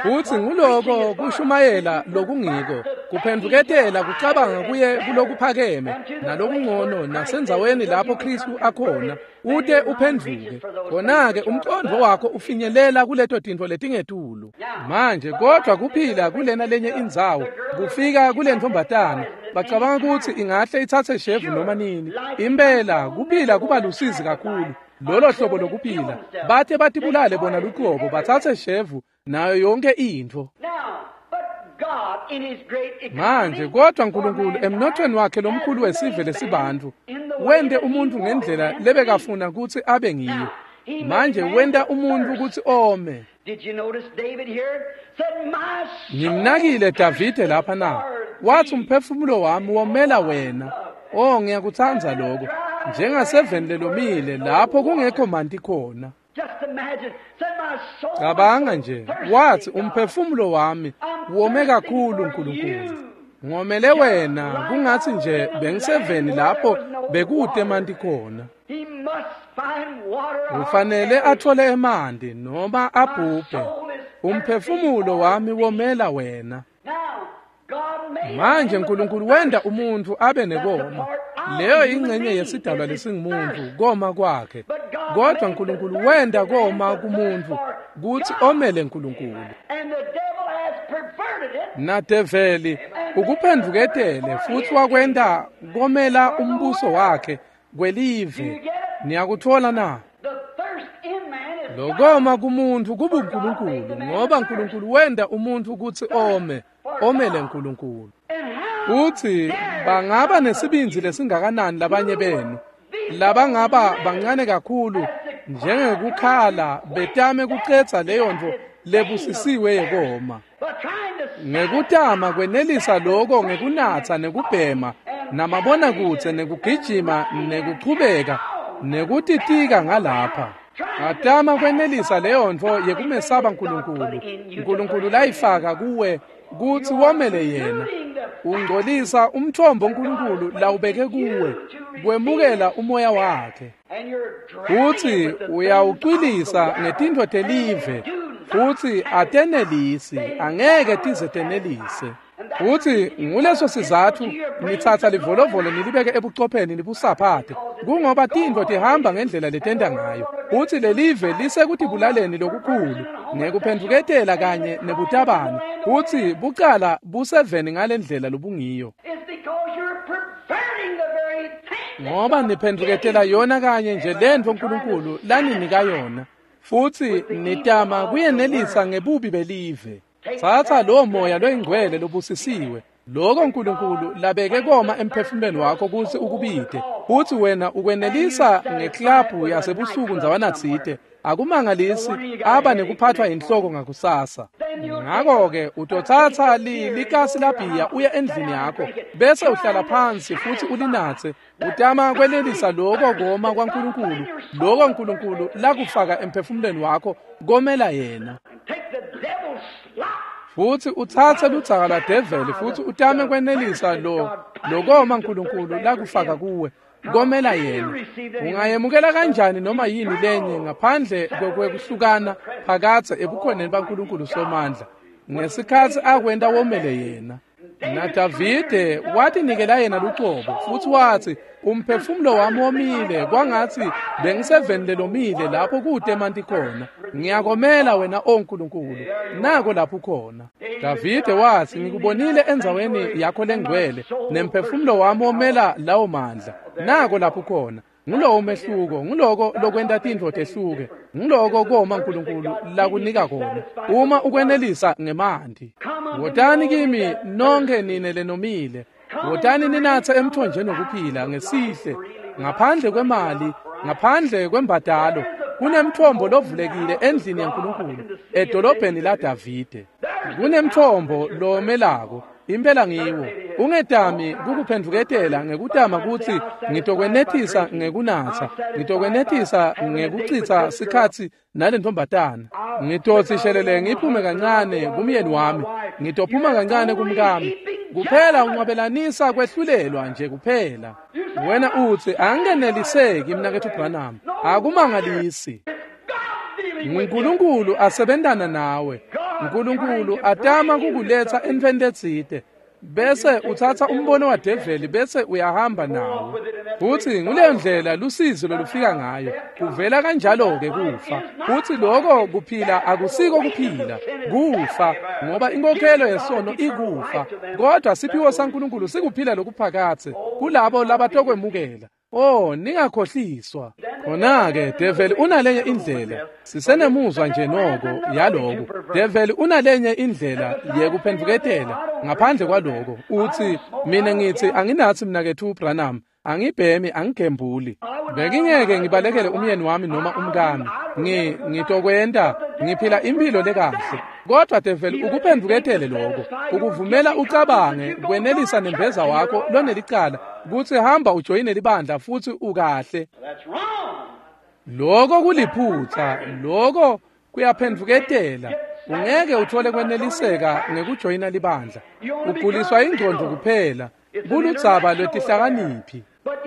Futsi nguloko kushumayela lokungiko, kuphendvuketela kucabanga kuye kulokuphakeme nalokungcono nasendzaweni lapho Kristu akhona, ute uphendvuke. Khona-ke umcondvo wakho ufinyelela kuleto tintfo letingetulu. Manje kodwa kuphila kulena lenye indzawo, kufika kulentombatana, bacabanga kutsi ingahle itsatse shevu noma nini. Impela kuphila kuba lusizi kakhulu. Lolo hlobo lokuphila, bathe batibulale bona luqobo, batsatse shevu nayo yonke intfo. Manje kodwa uNkulunkulu emnothweni wakhe lomkhulu wesive lesibantfu wente umuntu ngendlela lebekafuna kutsi abe ngiyo. Manje wenta umuntu kutsi ome. Ngimnakile Davide lapha na, wathi umphefumulo wami womela wena. Oh, ngiyakutsandza lokho, njengaseveni lelomile lapho kungekho manti khona. Cabanga nje, wathi umphefumulo wami wome kakhulu Nkulunkulu, ngomele wena, kungathi nje bengiseveni lapho bekute emanti khona. Ufanele athole emanti noma abhubhe. Umphefumulo wami womela wena. Manje uNkulunkulu wenda umuntu abe nekoma. Leyo ingxenye yesidalwa lesingumuntu, koma kwakhe. Kodwa uNkulunkulu wenda koma kumuntu kuthi omele uNkulunkulu. Nadeveli ukuphenduketele futhi wakwenda komela umbuso wakhe kwelive. Niyakuthola na? Lokoma kumuntu kubuNkulunkulu, ngoba uNkulunkulu wenda umuntu ukuthi ome, omele uNkulunkulu. Uthi bangaba nesibindzi lesingakanani labanye benu labangaba bancane kakhulu njengekukhala betame kucetsa leyo nto lebusisiwe yekoma, ngekutama kwenelisa lokho ngekunatsa nekubhema namabona kutse nekugijima nekuchubeka nekutitika ngalapha. Atama kwenelisa leyo nto yekumesaba uNkulunkulu. uNkulunkulu layifaka kuwe kuthi womele yena. Ungcolisa umthombo uNkulunkulu lawubeke kuwe kwemukela umoya wakhe. Futhi uyawucwilisa ngetintfo telive, futhi atenelisi, angeke tize tenelise. Futhi nguleso sizathu nithatha livolovolo nilibeke ebuchopheni nibusaphathe, kungoba tintfo tihamba ngendlela letenta ngayo. Futhi lelive lisekutibulaleni lokukhulu ngekuphenduketela kanye nebutabani, futhi bucala buseveni ngalendlela lobungiyo. Ngoba niphenduketela yona kanye nje lentfo uNkulunkulu laninika yona, futhi nitama kuyenelisa ngebubi belive. Thatha lo moya loyingcwele lobusisiwe, lokho uNkulunkulu labeke koma emphefumulweni wakho kuthi ukubide, futhi wena ukwenelisa ngeklabhu yasebusuku ndzawanatsite. Akumangalisi aba nekuphathwa inhloko ngakusasa. Ngakho-ke utothatha likasi labhiya uye endlini yakho, bese uhlala phansi futhi ulinatse, utama kwenelisa lokho koma kwaNkulunkulu, lokho uNkulunkulu lakufaka emphefumulweni wakho komela yena. Futhi uthathe ludzaka lwadeveli futhi utame kwenelisa lokoma uNkulunkulu lakufaka kuwe komela yena. Ungayemukela kanjani noma yini lenye ngaphandle kwekuhlukana phakathe ebukhoneni baNkulunkulu Somandla ngesikhathi akwenta womele yena? NaDavide watinikela yena lucobo futhi wathi, umphefumulo wami womile kwangathi bengiseveni lelomile lapho kude emanti khona. Ngiyakomela wena, o Nkulunkulu, nako lapho khona. Davide wathi, ngikubonile endzaweni yakho lengcwele, nemphefumulo wami womela lawo mandla. Nako lapho khona. Ngulowo umehluko, nguloko lokwenta tintfo tehluke, nguloko koma uNkulunkulu lakunika kona uma ukwenelisa ngemanti. Wotani kimi nonke nine lenomile, wotani ninatse emthonjeni wokuphila ngesihle, ngaphandle kwemali, ngaphandle kwembadalo. Kunemthombo lovulekile endlini yaNkulunkulu edolobheni laDavide. Kunemthombo lomelako, impela ngiwo. Ungetami kukuphenduketela ngekutama kutsi ngitokwenethisa ngekunatsa, ngitokwenethisa ngekuchitsa sikhatsi nalentombatana. Ngitotsi shelele ngiphume kancane kumyeni wami, ngitophuma kancane kumkami. Kuphela unqwabelanisa kwehlulelwa nje kuphela. Wena utsi angeneliseki mnaketfu Branham. Akumangalisi. uNkulunkulu asebentana nawe. uNkulunkulu atama kukuletsa entfweni letsite, bese utsatsa umbono wadeveli bese uyahamba nawo. Futhi nguleyo ndlela lusizi lolufika ngayo, kuvela kanjalo-ke kufa. Futhi lokho kuphila akusiko kuphila, kufa, ngoba inkokhelo yesono ikufa. Kodwa siphiwo saNkulunkulu sikuphila lokuphakathe kulabo labatokwemukela. Oh, ningakhohliswa. Khona-ke develi unalenye indlela. Sisenemuzwa nje noko yaloko. Develi unalenye indlela yekuphenduketela ngaphandle kwaloko. Uthi mina ngithi anginathi mnaketfu Branham, angibhemi, angigembuli. Bengingeke ngibalekele umyeni wami noma umkami. Ngitokwenta, ngiphila impilo lekahle. Kodwa develi ukuphenduketele lokho, ukuvumela ucabange kwenelisa nembeza wakho lonelicala kutsi hamba ujoyine libandla futhi ukahle. Lokho kuliphutha, lokho kuyaphenduketela. Ungeke uthole kweneliseka ngekujoyina libandla. Uguliswa ingqondo kuphela, kuludzaba lwetihlakaniphi.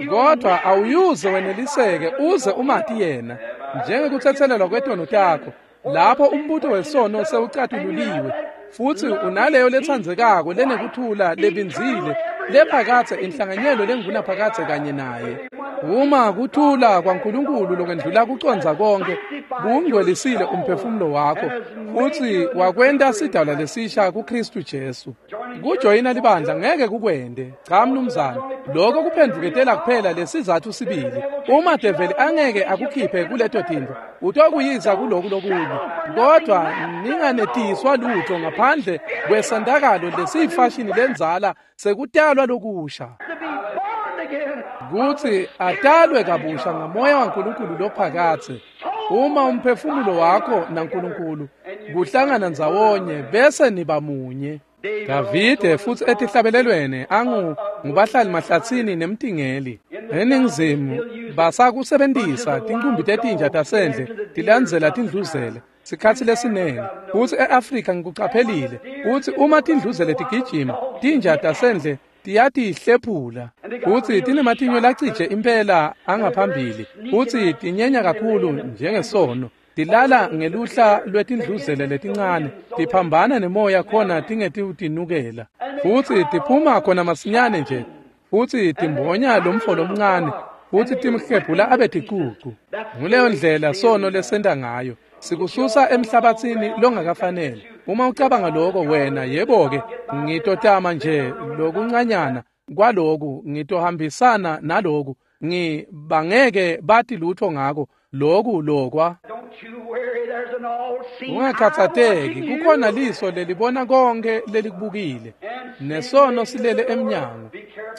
Kodwa awuyuze weneliseke uze umati yena njengekuthethelelwa kwetono takho. Lapho umbuto wesono sewucatululiwe futsi unaleyo letsandzekako lenekuthula lebindzile lephakatse inhlanganyelo lengunaphakatse kanye naye. Uma kuthula kwaNkulunkulu lokwendlula kucondza konke kungcwelisile umphefumulo wakho futsi wakwenta sidalwa lesisha kuKristu Jesu. Kujoyina libandla ngeke kukwende. Cha mnumzane, lokho kuphendvuketela kuphela lesizathu sibili. Uma develi angeke akukhiphe kuleto tintfo, utokuyisa kuloku lokunye. Kodwa ninganetiswa lutho ngaphandle kwesentakalo lesiyifashini lenzala sekutalwa lokusha. Kutsi atalwe kabusha ngamoya waNkulunkulu lophakatse. Uma umphefumulo wakho naNkulunkulu kuhlangana ndzawonye bese niba munye. Davide futsi etihlabelelweni ngubahlali mahlatsini nemtingeli. Eningizimu basakusebentisa tinkumbi tetinja tasendle tilandzela tindluzele sikhatsi lesinengi. Futsi e-Afrika ngikucaphelile kutsi uma tindluzele tigijima tinja tasendle tiyatihlephula futsi tinematinyo lacije impela angaphambili futsi tinyenya kakhulu njengesono. Tilala ngeluhla lwetindluzele letincane tiphambana nemoya khona tingetitinukela futsi tiphuma khona masinyane nje futsi timbonya lomfo lomncane futsi timhlephula abe ticucu. Nguleyo ndlela sono lesenta ngayo, sikususa emhlabatsini longakafanele. Uma ucabanga lokho wena, yebo-ke, ngitotama nje lokuncanyana kwaloku, ngitohambisana naloku, ngibangeke bati lutho ngako loku lokwa. Ungakhatsateki, kukhona liso lelibona konke lelikubukile, nesono silele emnyango.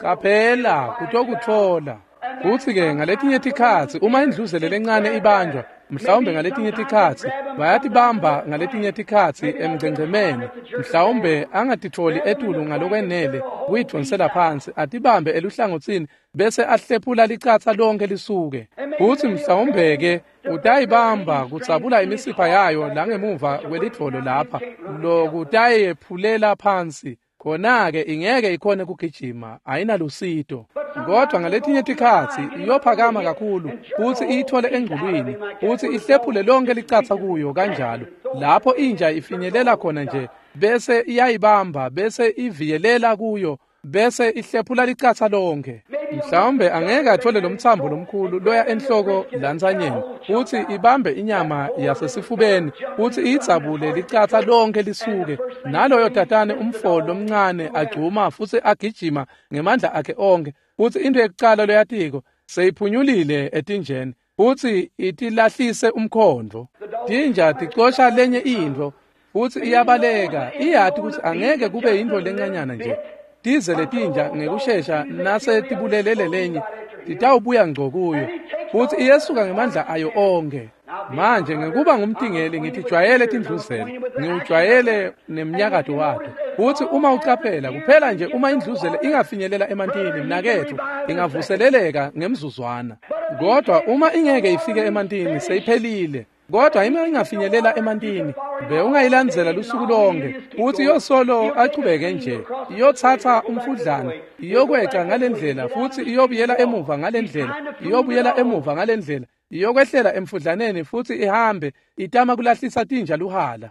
Caphela kutokutfola. Futsi-ke ngaletinye tikhatsi uma indluzele lencane ibanjwa, mhlawumbe ngaletinye tikhatsi bayatibamba ngaletinye tikhatsi emgcengcemeni, mhlawumbe angatitfoli etulu ngalokwenele kuyidvonsela phansi, atibambe eluhlangotsini bese ahlephula licatsa lonke lisuke. Futsi mhlawumbe-ke utayibamba kudzabula imisipha yayo langemuva kwelidvolo lapha, lokutayephulela phansi. Khona-ke ingeke ikhone kugijima, ayinalusito. Kodwa ngaletinye tikhatsi iyophakama kakhulu futsi iyithole engculwini futsi ihlephule lonke licatsa kuyo kanjalo. Lapho inja ifinyelela khona nje bese iyayibamba bese iviyelela kuyo bese ihlephula licatsa lonke. Mhlawumbe angeke athole lomtsambo lomkhulu loya enhloko lantsanyeni futsi ibambe inyama yasesifubeni futsi iyidzabule licatsa lonke lisuke. Naloyo tatane umfo lomncane agcuma futsi agijima ngemandla akhe onke futsi into yekucala loyatiko seyiphunyulile etinjeni futsi itilahlise umkhondvo. Tinja ticosha lenye intfo futsi iyabaleka, iyati kutsi angeke kube yintfo lencanyana nje. Tize letinja ngekushesha nase tibulelele lenye titawubuya ngco kuyo futsi iyesuka ngemandla ayo onke. Manje ngekuba ngumtingeli ngitijwayele tindluzele, ngiwujwayele nemnyakato wato. Futsi uma ucaphela kuphela nje uma indluzele ingafinyelela emantini mnaketfu ingavuseleleka ngemzuzwana. Kodwa uma ingeke ifike emantini seyiphelile. Kodwa ima ingafinyelela emantini bewungayilandzela lusuku lonke futsi iyosolo achubeke nje, iyotsatsa umfudlana, iyokweca ngalendlela futsi iyobuyela emuva ngalendlela, iyobuyela emuva ngalendlela, iyokwehlela emfudlaneni futsi ihambe itama kulahlisa tinja luhala.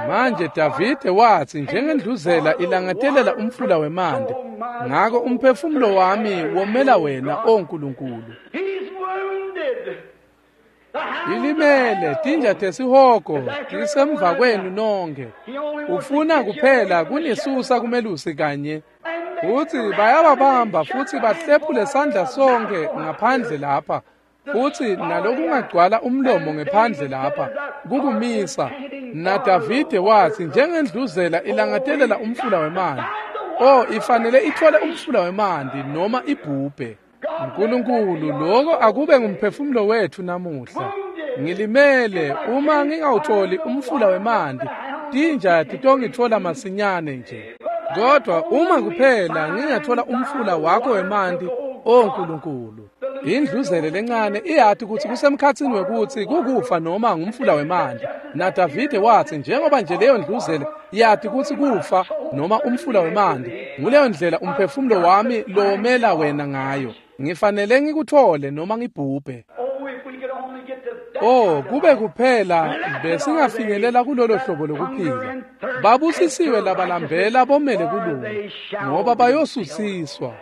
Manje Davide watsi njengendluzela ilangatelela umfula wemanti, ngako umphefumulo wami womela wena, o Nkulunkulu. Ilimele tinja tesihogo tisemva kwenu nonke. Ufuna kuphela kunisusa kumelusi kanye. Futsi bayababamba futsi bahlephule sandla sonke ngaphandle lapha. Futsi nalokungagcwala umlomo ngephandle lapha kukumisa. NaDavide watsi njengendluzela ilangatelela umfula wemanti. Oh, ifanele ithole umfula wemanti noma ibhubhe. Nkulunkulu, lokho akube ngumphefumulo wethu namuhla. Ngilimele uma ngingawutholi umfula wemanti, tinja titongitfola masinyane nje. Kodwa uma kuphela ngingathola umfula wakho wemanti, o Nkulunkulu. Indluzele lencane iyati kutsi kusemkhatsini wekutsi kukufa noma ngumfula wemanti. NaDavide watsi njengoba nje leyo ndluzele yati kutsi kufa noma umfula wemanti, nguleyo ndlela umphefumulo wami lowomela wena ngayo. Ngifanele ngikuthole noma ngibhubhe. Oh, kube kuphela besingafinyelela kulolo hlobo lokuphila. Babusisiwe labalambela bomele kulunga, ngoba bayosusiswa.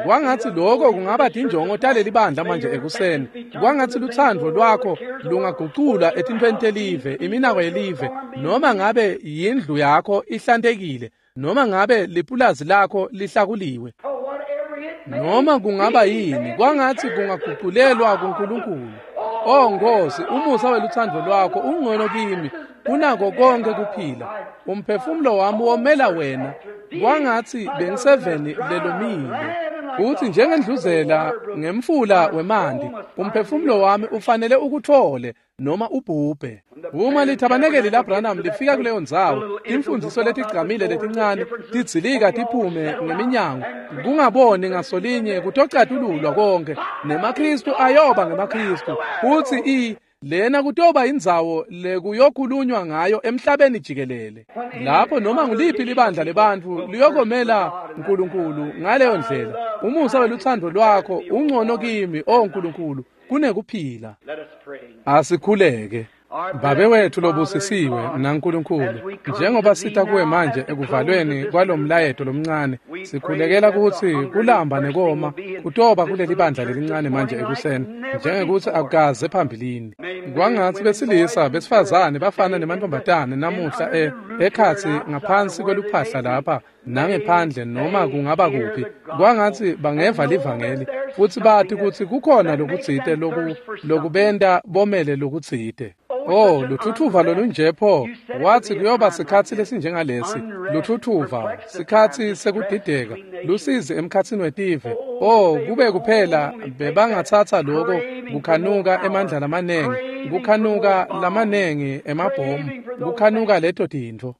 Kwangathi lokho kungaba tinjongo taleli bandla manje ekuseni. Kwangathi luthando lwakho lungagucula etintweni telive, iminako yelive, noma ngabe yindlu yakho ihlantekile, noma ngabe lipulazi lakho lihlakuliwe, noma kungaba yini, kwangathi kungaguculelwa kuNkulunkulu. Oh Nkosi, umusa weluthando lwakho ungcono kimi kunako konke kuphila. Umphefumulo wami womela wena, kwangathi bengiseveni lelomile. Uthi njengendluzela ngemfula wemanti, umphefumulo wami ufanele ukuthole noma ubhubhe. Uma lithabanekeli laBranham lifika kuleyo ndzawo, imfundiso letigcamile letincane tidzilika tiphume ngeminyango, kungaboni ngasolinye kutocatululwa konke, nemaKristu ayoba ngemaKristu. Futhi lena kutoba indzawo lekuyokhulunywa ngayo emhlabeni jikelele, lapho noma nguliphi libandla lebantfu liyokomela uNkulunkulu ngaleyo ndlela. Umusa weluthando lwakho ungcono kimi, o Nkulunkulu, kunekuphila. Asikhuleke. Babe wethu lobusisiwe naNkulunkulu, njengoba sita kuwe manje ekuvalweni kwalomlayeto lomncane, sikhulekela kutsi kulamba nekoma kutoba kuleli bandla lelincane manje ekuseni, njengekuthi akukaze phambilini. Kwangatsi besilisa, besifazane, bafana nemantombazane namuhla ekhatsi ngaphansi kweluphahla lapha nangephandle noma kungaba kuphi, kwangatsi bangeva livangeli futhi bathi kutsi kukhona lokutsite lokubenta bomele lokutsite. Oh, luthuthuva lolunje pho, wathi kuyoba sikhatsi lesinjengalesi, luthuthuva, sikhatsi sekudideka, lusizi emkhatsini wetive. Oh, kube kuphela bebangatsatsa lokho kukhanuka emandla lamanengi, kukhanuka lamanengi emabhomu, kukhanuka leto tintfo,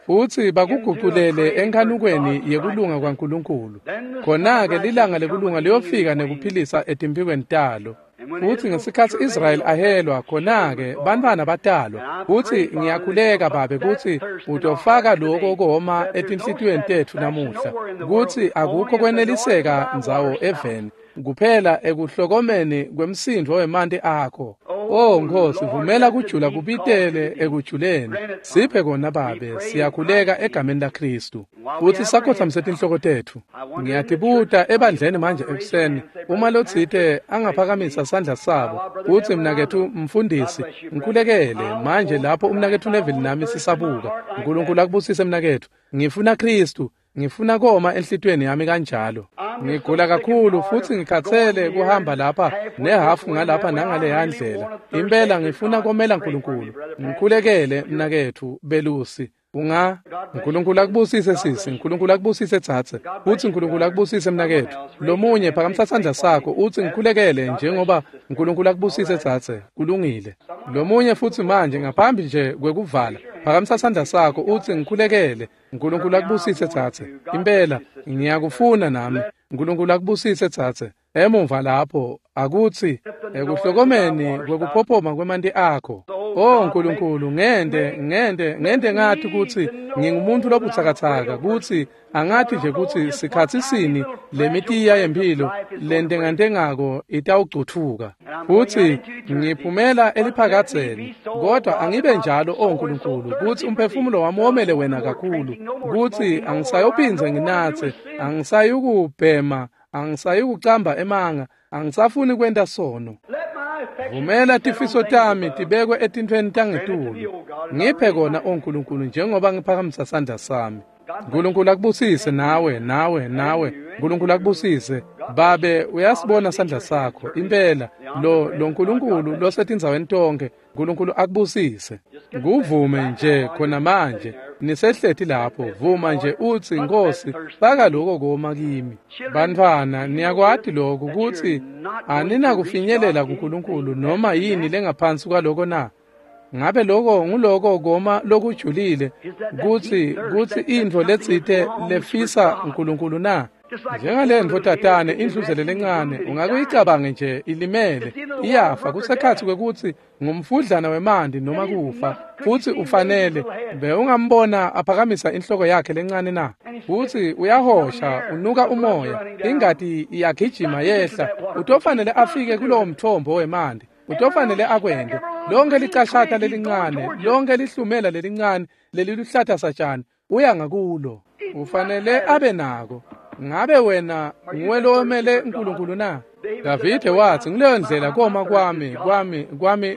futhi bakuguculele enkhanukweni yekulunga kwaNkulunkulu. Khona-ke lilanga lekulunga liyofika nekuphilisa etimphikweni talo. Futhi ngesikhatsi Israel ahelwa, khona-ke bantfwana batalwa. Futhi ngiyakhuleka Babe kutsi utofaka lokho koma etinhlitiyweni tetfu namuhla, kutsi akukho kweneliseka ndzawo eveni, kuphela ekuhlokomeni kwemsindvo wemanti akho. Oh Nkosi, vumela kujula kubitele ekujuleni. Siphe kona Babe, siyakhuleka egameni laKristu. Futhi sakhothamise tinhloko tetfu. Ngiyatibuta ebandleni manje ekuseni, uma lotsite angaphakamisa sandla sabo, uthi mnaketfu mfundisi, ngikhulekele manje lapho umnaketfu Neville nami sisabuka. uNkulunkulu akubusise mnaketfu. Ngifuna Kristu. Ngifuna koma enhlitiyweni yami kanjalo. Ngigula kakhulu futhi ngikhathele kuhamba lapha nehafu ngalapha nangale ndlela. Impela ngifuna komela uNkulunkulu. Ngikhulekele mnaketfu belusi. Unga uNkulunkulu akubusise sisi, uNkulunkulu akubusise tsatse, uthi uNkulunkulu akubusise mnaketfu. Lomunye phakamisa sandla sakho uthi ngikhulekele njengoba uNkulunkulu akubusise tsatse. Kulungile. Lomunye futhi manje ngaphambi nje kwekuvala, phakamisa sandla sakho uthi ngikhulekele. uNkulunkulu akubusise tsatse. Impela ngiyakufuna nami. uNkulunkulu akubusise tsatse. Emuva lapho akuthi ekuhlokomeni kwekuphophoma kwemanti akho. Oh Nkulunkulu, ngente ngathi kutsi ngingumuntu lobutsakatsaka, kutsi angathi nje kutsi sikhatsi sini lemitiya yempilo lentengantengako itawucutfuka. Futhi ngiphumela eliphakadzeni, kodwa angibe njalo, oh Nkulunkulu, kutsi umphefumulo wami womele wena kakhulu, kutsi angisayophindze nginatse, angisayukubhema, angisayukucamba emanga, angisafuni kwenta sono. Vumela tifiso tami tibekwe etintfweni tangetulu. Ngiphe kona, o Nkulunkulu, njengoba ngiphakamisa sandla sami. Nkulunkulu akubusise nawe, nawe, nawe. Nkulunkulu akubusise. Babe, uyasibona sandla sakho. Impela lo Nkulunkulu losetindzaweni tonke, Nkulunkulu akubusise. Kuvume nje khona manje. Nisehleti lapho, vuma nje uthi Nkosi, faka lokho koma kimi. Bantfwana, niyakwati lokhu kutsi aninakufinyelela kuNkulunkulu noma yini lengaphansi kwaloko na? Ngabe lokho nguloko koma lokujulile kutsi intfo letsite lefisa uNkulunkulu na? Njengalentfo tatane indluzele lencane ungakuyicabange nje ilimele iyafa kusekhatsi kwekutsi ngumfudlana wemanti noma kufa, futhi ufanele bewungambona aphakamisa inhloko yakhe lencane na? Futhi uyahosha, unuka umoya, ingati iyagijima yehla, utofanele afike kulowo mthombo wemanti. Utofanele akwente. Lonke licashata lelincane, lonke lihlumela lelincane leliluhlata satshani, uya ngakulo. Ufanele abe nako. Ngabe wena nguwe lowomele uNkulunkulu na? Davide wathi, ngileyo ndlela koma kwami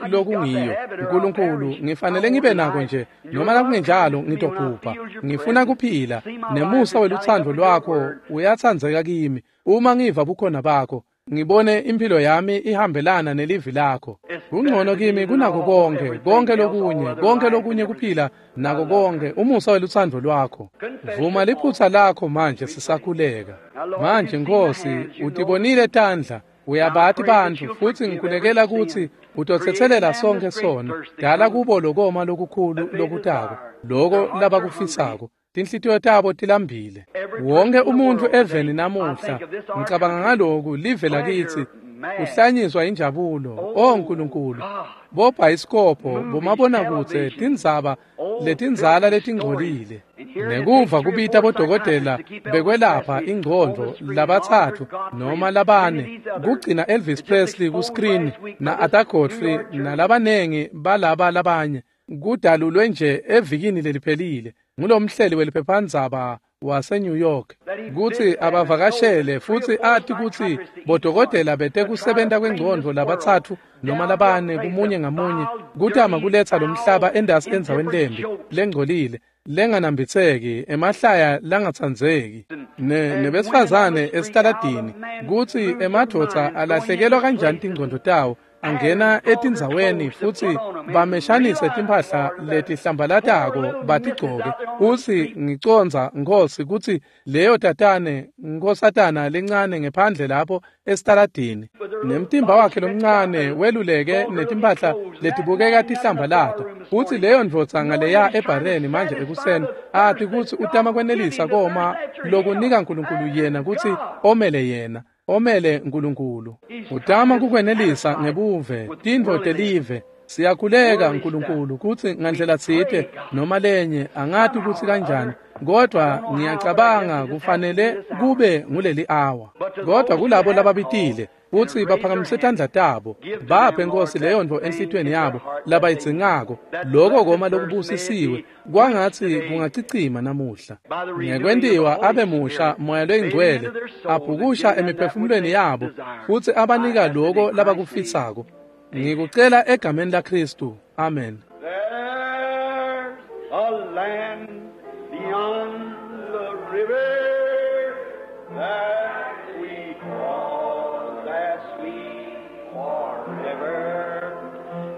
lokungiyo. uNkulunkulu, ngifanele ngibe nako nje, noma nakungenjalo ngitobhubha. Ngifuna kuphila, nemusa weluthando lwakho uyatsandzeka kimi. Uma ngiva bukhona bakho, ngibone impilo yami ihambelana nelivi lakho. Kungcono kimi kunako konke, konke lokunye, konke lokunye kuphila nako konke, umusa weluthando lwakho. Vuma liphutha lakho manje sisakhuleka. Manje Nkosi, utibonile tandla, uyabati bantfu, futsi ngikhulekela kutsi utotsetselela sonke sono. Dala kubo lokoma lokukhulu lokutako, loko labakufisako. Tinhlitiyo tabo tilambile. Wonke umuntfu eveni namuhla, ngicabanga ngaloku, live lakitsi, kuhlanyiswa injabulo. O Nkulunkulu, bobhayisikobho, bomabonakudze, tindzaba letindzala letingcolile. Nekuva kubita bodokotela bekwelapha ingcondvo labatsatfu noma labane, kugcina Elvis Presley ku-screen na Arthur Godfrey nalabanengi balaba labanye, kudalulwe nje evikini leliphelile ngulomhleli weliphephandzaba wase-New York, kutsi abavakashele futsi ati kutsi bodokotela bete kusebenta kwengcondvo labatsatfu noma labane kumunye ngamunye, kutama kuletsa lomhlaba endasi endzaweni lembi lengcolile lenganambitseki, emahlaya langatsandzeki, nebesifazane esitaladini, kutsi emadvodza alahlekelwa kanjani tingcondvo tawo, angena etindzaweni futsi bameshanise timphahla letihlambalatako batigcoke. Utsi, ngicondza Nkosi kutsi leyo tatane nkosatana lencane ngephandle lapho esitaladini, nemtimba wakhe lomncane weluleke netimphahla letibukeka tihlambalata, futsi leyo ndvodza ngaleya ebhareni manje ekuseni ati kutsi utama kwenelisa koma lokunika Nkulunkulu yena kutsi omele yena. Omele Nkulunkulu. Utama kukwenelisa ngebuve, tintfo telive. Siyakhuleka Nkulunkulu kutsi ngandlela tsite noma lenye, angati kutsi kanjani, kodwa ngiyacabanga kufanele kube nguleli awa. Kodwa kulabo lababitile kutsi baphakamise tandla tabo, baphe Nkosi leyo ntfo enhlitiyweni yabo labayidzingako, loko koma lokubusisiwe, kwangatsi kungacicima namuhla. Ngekwentiwa abe musha Moya loyingcwele, abhukusha emiphefumulweni yabo, futsi abanika loko labakufisako. Ngikucela egameni laKristu. Amen. There's a land beyond the river that we call that sweet forever,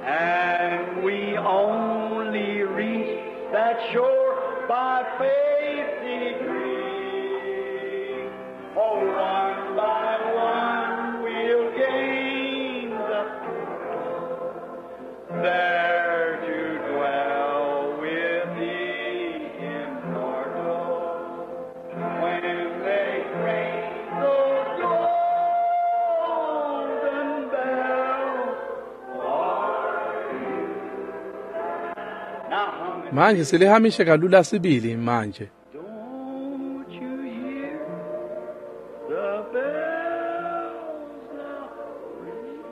and we only reach that shore by faith degree. Oh, one by one we'll gain the there to dwell with the immortal. When they ring those golden bells for you. Now hum it. Manje silihamishe kalula sibili manje. Don't you hear the bells now ring?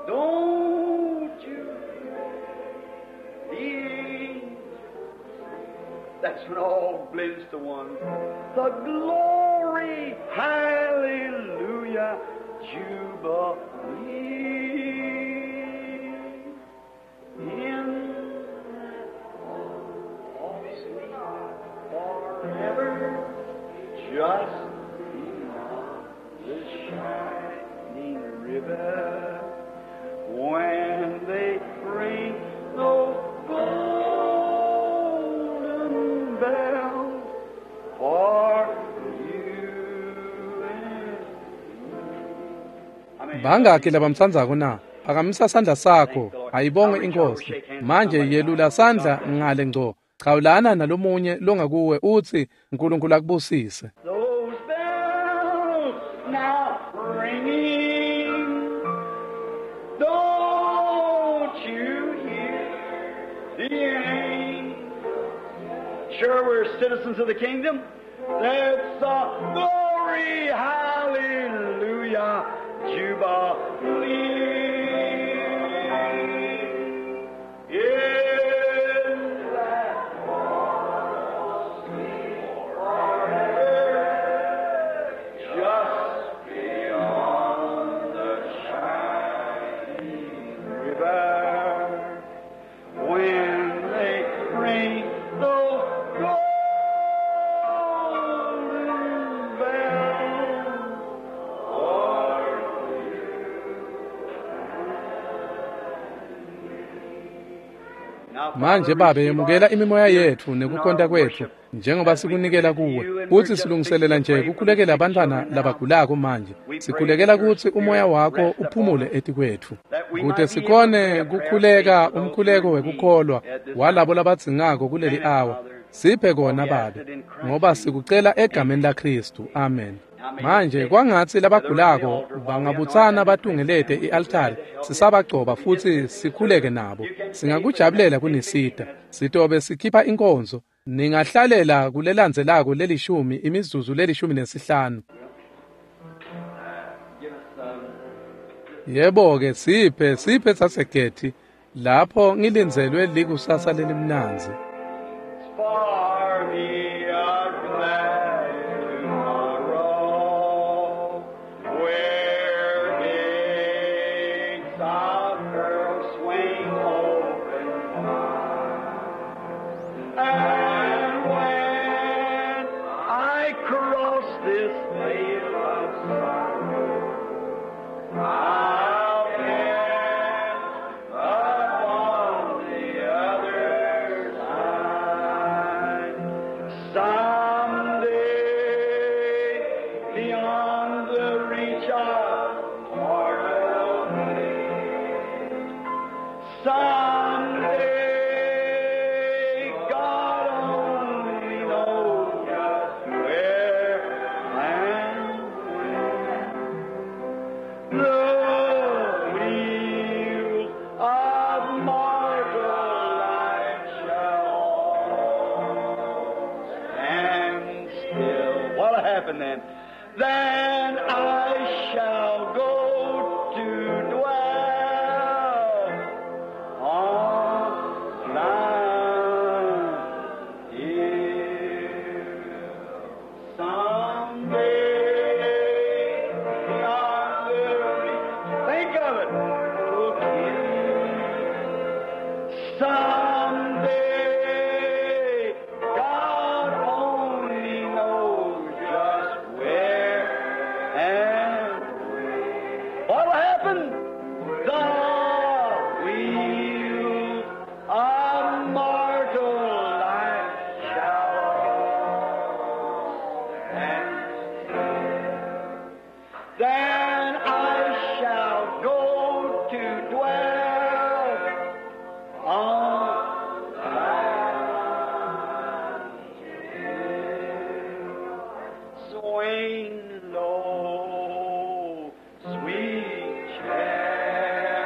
Don't you hear the angels? That's when all blends to one. The glory, hallelujah, jubilee. In forever, just beyond the shining river, when they ring those golden bells for you and me. I mean, Bangaki labamtsandzako na? Phakamisa sandla sakho, ayibongwe iNkosi. Manje yelula sandla ngale ngco. Chawulana nalomunye longakuwe utsi uNkulunkulu akubusise. Those bells now ringing, don't you hear the angels? Sure, we're citizens of the kingdom. That's a glory, hallelujah, jubilee. Manje Babe, yemukela imimoya yetfu nekukhonta kwetfu njengoba sikunikela kuwe. Futsi silungiselela nje kukhulekela abantwana labagulako manje. Sikhulekela kutsi umoya wakho uphumule etikwetfu, kute sikhone kukhuleka umkhuleko wekukholwa walabo labadzingako kuleli awa. Siphe kona Babe, ngoba sikucela egameni laKhristu. Amen. Manje kwangatsi labagulako bangabutsana batungelete i-altari sisabagcoba futsi sikhuleke nabo. Singakujabulela kunisita. Sitobe sikhipha inkonzo. Ningahlalela kulelandzelako lelishumi imizuzu leli-15. Yebo-ke, siphe sasegethi lapho ngilindzelwe likusasa lelimnandzi. For me a glad tomorrow, where gates of pearl swing open wide. And when I cross this vale of sorrow, I'll pass upon the other side. Someday, beyond the reach of mortal man, someday, God only knows just where and when. The wheels of mortal life shall stand still. What'll happen then? Then I shall go to dwell on thine hill. Someday, beyond the reach, think of it. Someday, God only knows just where and when. What'll happen? The wheels of mortal life shall stand still. Then I shall go to dwell on thine hill. Swing low, sweet chariot,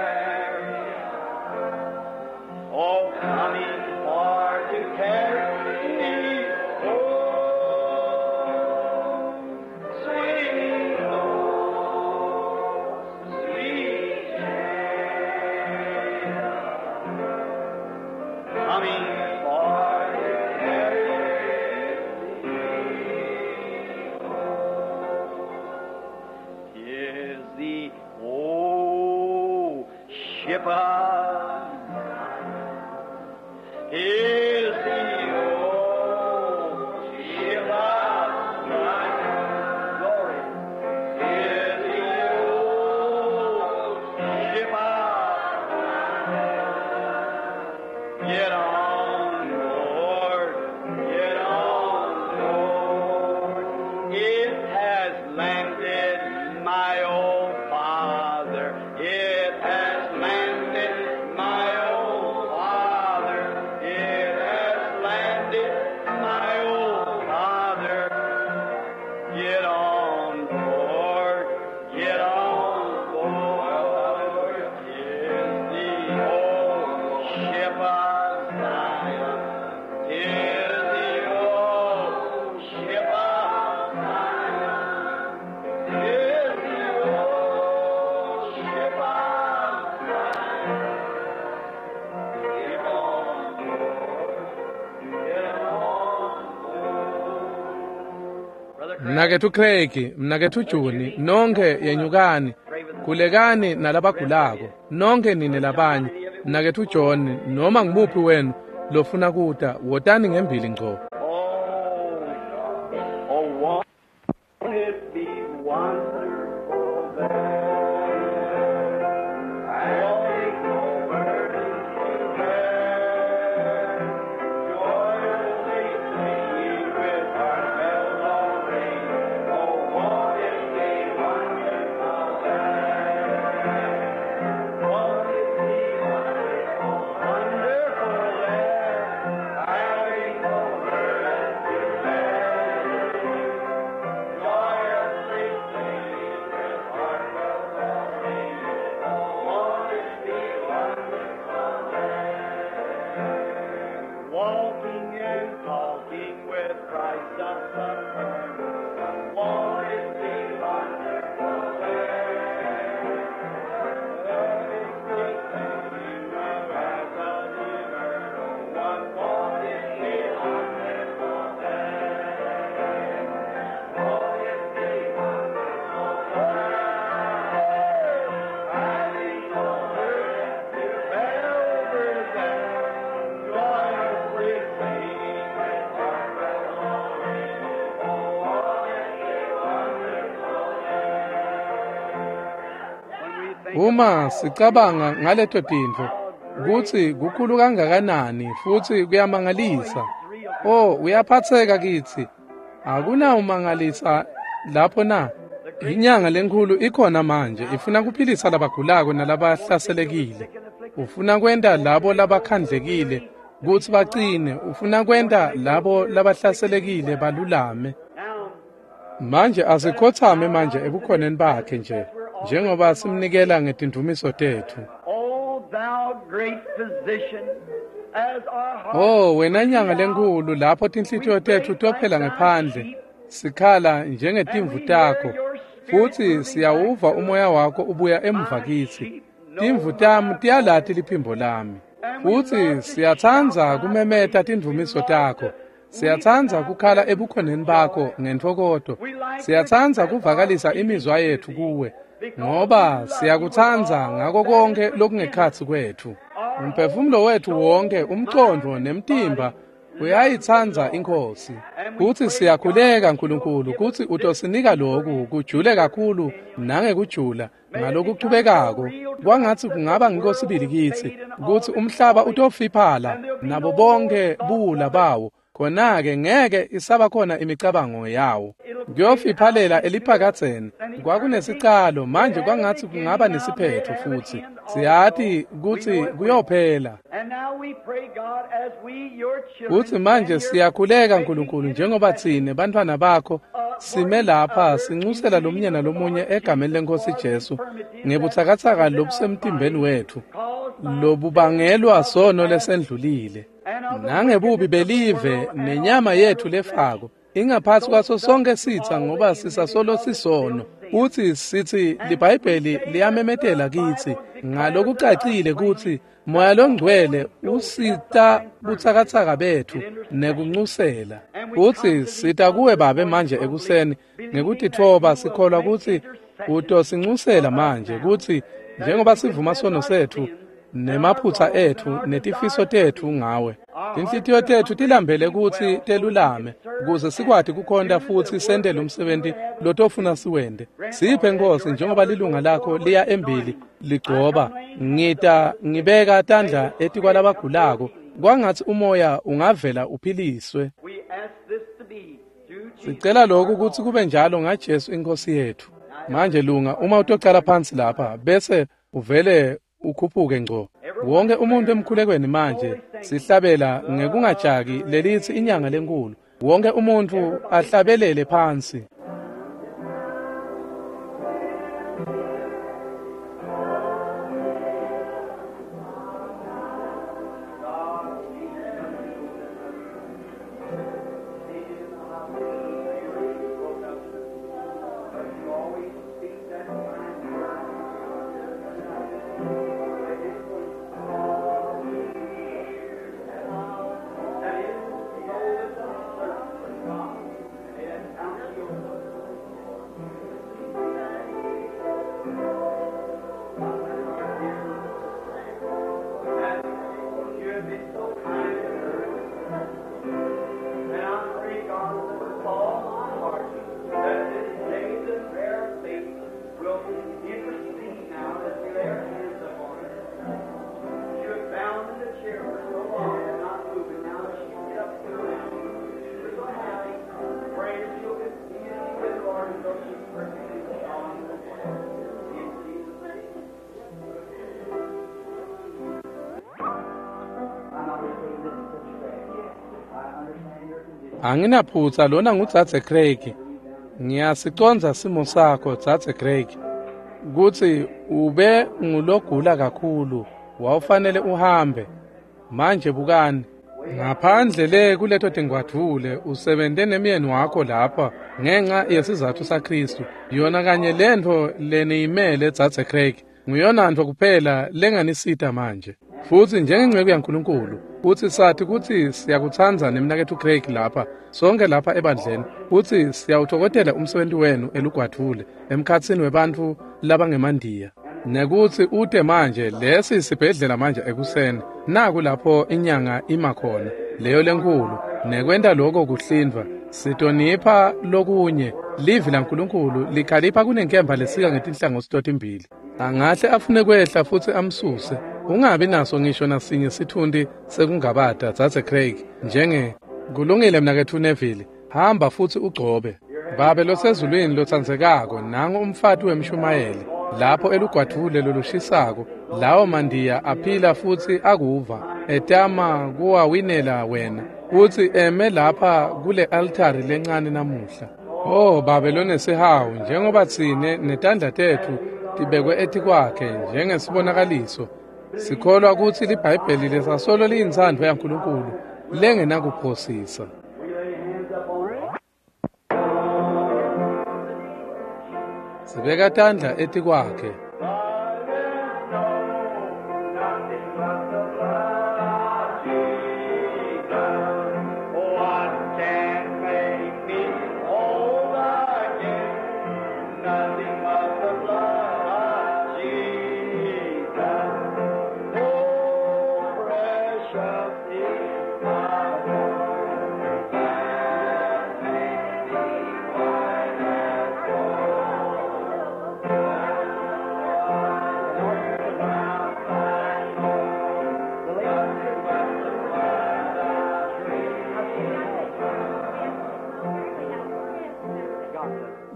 oh, coming for to carry me home. Swing low, sweet chariot, coming for to carry me home. Is the old ship of is the old ship of Zion. Glory. Is the old ship of Zion. Get on board, get on board. It has landed my old father. It has landed my old father. It has landed my old father. Get on board, get on board. Is the old ship of Zion. Is the old ship of Zion. Is the old ship of Zion. Get on board, get on board. Brother Craig, Mnaketfu Craig, mnaketfu Juni, nonkhe yenyukani, khulekani nalabagulako, nonkhe nine labanye. Mnaketfu John, noma ngimuphi wenu lofuna kuta, wotani ngembili ngco. Oh, oh, won't it be wonderful there? Won't it go burning to bear? Walking and talking with Christ the Son. Won't it be wonderful there? Loving the singing of as an eternal one. Won't it be wonderful there? Won't it be wonderful there? Having no burden to bear over there, joyously singing with heartfelt glory. Oh, won't it be wonderful there? When we think Uma sicabanga ngaleto tintfo kutsi kukhulu kangakanani futsi kuyamangalisa. Oh, uyaphatseka kitsi. Akunawumangalisa lapho na? Inyanga lenkhulu ikhona manje ifuna kuphilisa labagulako nalabahlaselekile. Ufuna kwenta labo labakhandlekile kutsi bacine, ufuna kwenta labo labahlaselekile balulame. now, Manje asikhothame manje ebukhoneni bakhe nje njengoba simnikela ngetindumiso tethu. O thou great physician, as our heart Oh wena nyanga lenkhulu lapho tinhlitiyo tethu tophela ngephandle sikhala njengetimvu takho futsi siyawuva umoya wakho ubuya emuva kitsi. Timvu tami tiyalati liphimbo lami futsi siyatsandza kumemeta tindvumiso takho. Siyatsandza kukhala ebukhoneni bakho ngentfokoto. Siyatsandza kuvakalisa imizwa yethu kuwe ngoba siyakutsandza ngako konke lokungekhatsi kwethu. Umphefumulo wethu wonke, umcondvo nemtimba uyayitsandza iNkhosi. Kutsi siyakhuleka Nkulunkulu kutsi utosinika loku kujule kakhulu nangekujula ngalokuchubekako. Kwangatsi kungaba ngiko sibili kitsi kutsi umhlaba utofiphala nabo bonke buwula bawo. Khona-ke ngeke isaba khona imicabango yawo. Kuyofiphalela eliphakadzeni. Kwakunesicalo manje kwangatsi kungaba nesiphetho futsi. Siyati kutsi kuyophela. And now we pray, God, as we, your children, Kutsi manje siyakhuleka Nkulunkulu njengoba tsine bantfwana bakho sime lapha sincusela lomunye nalomunye egameni leNkhosi Jesu ngebutsakatsaka lobusemtimbeni wethu lobubangelwa sono lesendlulile nangebubi belive nenyama yethu lefako ingaphasi kwaso sonke sitsa ngoba sisasolo sisono. Futsi sithi liBhayibheli liyamemetela kitsi ngalokucacile kutsi Moya loNgcwele usita butsakatsaka bethu nekuncusela. Futsi sita kuwe Babe manje ekuseni ngekutitfoba sikholwa kutsi utosincusela manje kutsi njengoba sivuma sono sethu nemaphutsa ethu netifiso tethu ngawe. Tinhlitiyo tethu tilambele kutsi telulame ukuze sikwati kukhonta futsi sente lo msebenti lotofuna siwente. Siphe Nkosi njengoba lilunga lakho liya embili ligcoba. Ngita ngibeka tandla etikwalabagulako kwangatsi umoya ungavela uphiliswe. we ask this to be through Jesus. Sicela lokhu kutsi kube njalo ngaJesu iNkosi yethu. Manje lunga uma utocala phansi lapha bese uvele ukhuphuke ngco. Wonke umuntu emkhulekweni manje sihlabela ngekungajaki lelithi inyanga lenkulu. Wonke umuntu ahlabelele phansi. You have been so kind to her. And I pray, God, with all my heart, that this day the prayer of faith will intercede now as we lay our hands upon her. She was bound in the chair for so long and not moving. Now she can get up to her. We're so happy. Pray that she'll continue to be with the Lord until she's perfectly strong. In Jesus' name. I'm not mistaken, this is Sister Craig. I understand your condition. Anginaphutsa lona ngudzadze Craig. Ngiyasicondza simo sakho dzadze Craig. Kutsi ube ngulogula kakhulu wawufanele uhambe. Manje bukani. Ngaphandle le kuleto tingwadvule usebente nemyeni wakho lapha ngenxa yesizatfu saKhristu. Yona kanye lentfo leniyimele dzadze Craig nguyona ntfo kuphela lenganisita manje. Futsi njengenceku yaNkulunkulu futsi sathi kutsi siyakutsandza nemnaketfu Craig lapha sonke lapha ebandleni, futsi siyawutfokotela umsebenti wenu elugwadvule emkhatsini webantfu labangemandiya. Nekutsi ute manje lesi sibhedlela manje ekuseni naku lapho inyanga ima khona leyo lenkulu nekwenta lokho kuhlindva sitonipha lokunye. Livi laNkulunkulu likhalipha kunenkemba lesika ngetinhlangothi totimbili. Angahle afune kwehla futsi amsuse. Ungabi naso ngisho nasinye sithundi sekungabata dzadze Craig njenge kulungile mnaketfu Neville, hamba futsi ugcobe. Babe losezulwini lotsandzekako, nangu umfati wemshumayeli lapho elugwadvule lolushisako, lawo mandiya aphila futsi akuva etama kuwawinela wena futsi eme lapha kule altari lencane namuhla. Oh Babe lonesihawu, njengoba tsine netandla tetfu tibekwe etikwakhe njengesibonakaliso, sikholwa kutsi liBhayibheli lesasolo liyintsandvo yaNkulunkulu lengenakuphosisa. Sibeka tandla etikwakhe.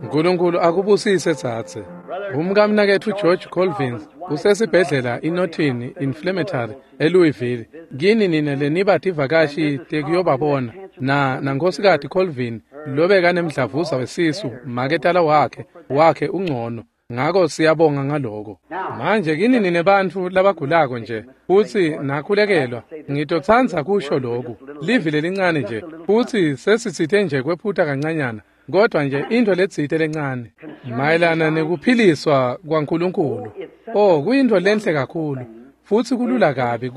Nkulunkulu akubusise tsatse. Umkamnaketfu George Colvins usesibhedlela iNorton Inflammatory eLouisville. Kini nine leniba tivakashi tekuyobabona na nankhosikati Colvin lobekanemdlavuza wesisu maketala wakhe ungcono. Ngako siyabonga ngaloko. Manje kini nine bantfu labagulako nje futsi nakhulekelwa, ngitotsandza kusho loku livi lelincane nje futsi sesitsite nje kwephuta kancanyana, kodwa nje into letsite lencane mayelana nekuphiliswa kwaNkulunkulu. Oh, kuyinto lenhle kakhulu futsi kulula kabi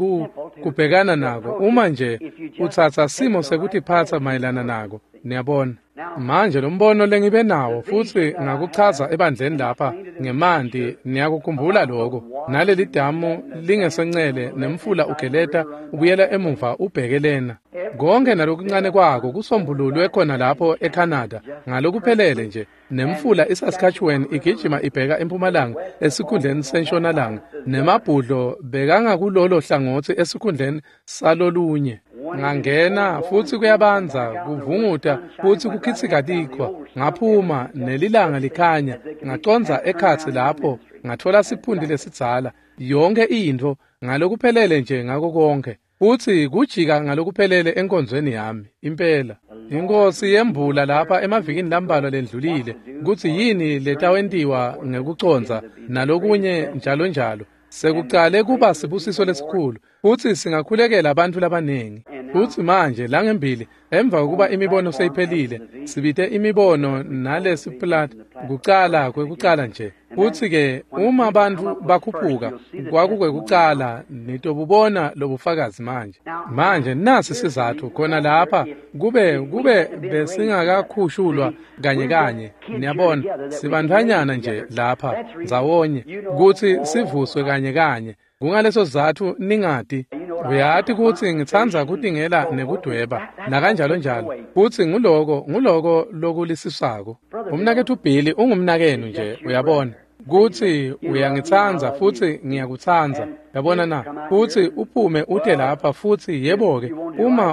kubhekana nako uma nje utsatsa simo sekutiphatsa mayelana nako. Niyabona manje lo mbono lengibe nawo futsi ngakuchaza ebandleni lapha ngemanti, niyakukhumbula lokho, naleli damu lingesencele nemfula ugeleta ubuyela emuva ubheke lena. Konke nalokuncane kwako kusombululwe khona lapho eCanada ngalokuphelele nje, nemfula iSaskatchewan igijima ibheka empumalanga esikhundleni sentshonalanga, nemabhudlo bekangakulolo hlangothi esikhundleni salolunye. Ngangena futsi kuyabanza kuvunguta futsi kukhitsika tikhwa. Ngaphuma nelilanga likhanya, ngacondza ekhatsi lapho ngatfola siphundi lesidzala, yonke intfo ngalokuphelele nje ngako konke. Futsi kujika ngalokuphelele enkonzweni yami impela. Inkosi yembula lapha emavikini lambalwa lendlulile kutsi yini letawentiwa ngekucondza nalokunye njalo njalo. Sekucale kuba sibusiso lesikhulu futsi singakhulekela abantu labaningi. Futsi manje langembili emva kokuba imibono seyiphelile, sibite imibono nalesi plat kucala kwekucala nje. Futsi ke uma abantu bakhuphuka kwakukwekucala, nitobubona lobufakazi manje. Manje nasi sizatfu khona lapha kube besingakakhushulwa kanye kanye. Niyabona sibantfwanyana nje lapha ndzawonye kutsi sivuswe kanye kanye. Kungaleso sizatfu ningati. Uyati kutsi ngitsandza kutingela nekudweba nakanjalo njalo, futsi nguloko lokulisisako. Umnaketfu Billy ungumnakenu nje, uyabona kutsi uyangitsandza futsi ngiyakutsandza, yabona na? Futsi uphume ute lapha futsi yebo-ke,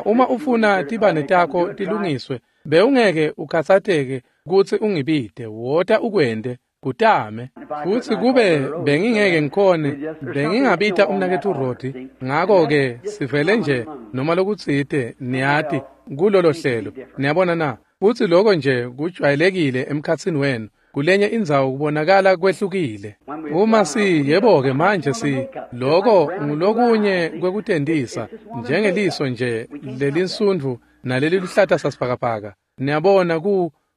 uma ufuna tibane takho tilungiswe, bewungeke ukhatsateke kutsi ungibite, wota ukwente kutame. Futsi kube bengingeke ngikhone, bengingabita umnaketfu Rodi. Ngako-ke sivele nje noma lokutsite, niyati, kulolo hlelo. Niyabona na? Futsi loko nje kujwayelekile emkhatsini wenu. Kulenye indzawo kubonakala kwehlukile. Uma si yebo-ke manje si loko ngulokunye kwekutentisa njengeliso nje lelinsundvu naleli luhlata sasibhakabhaka. Niyabona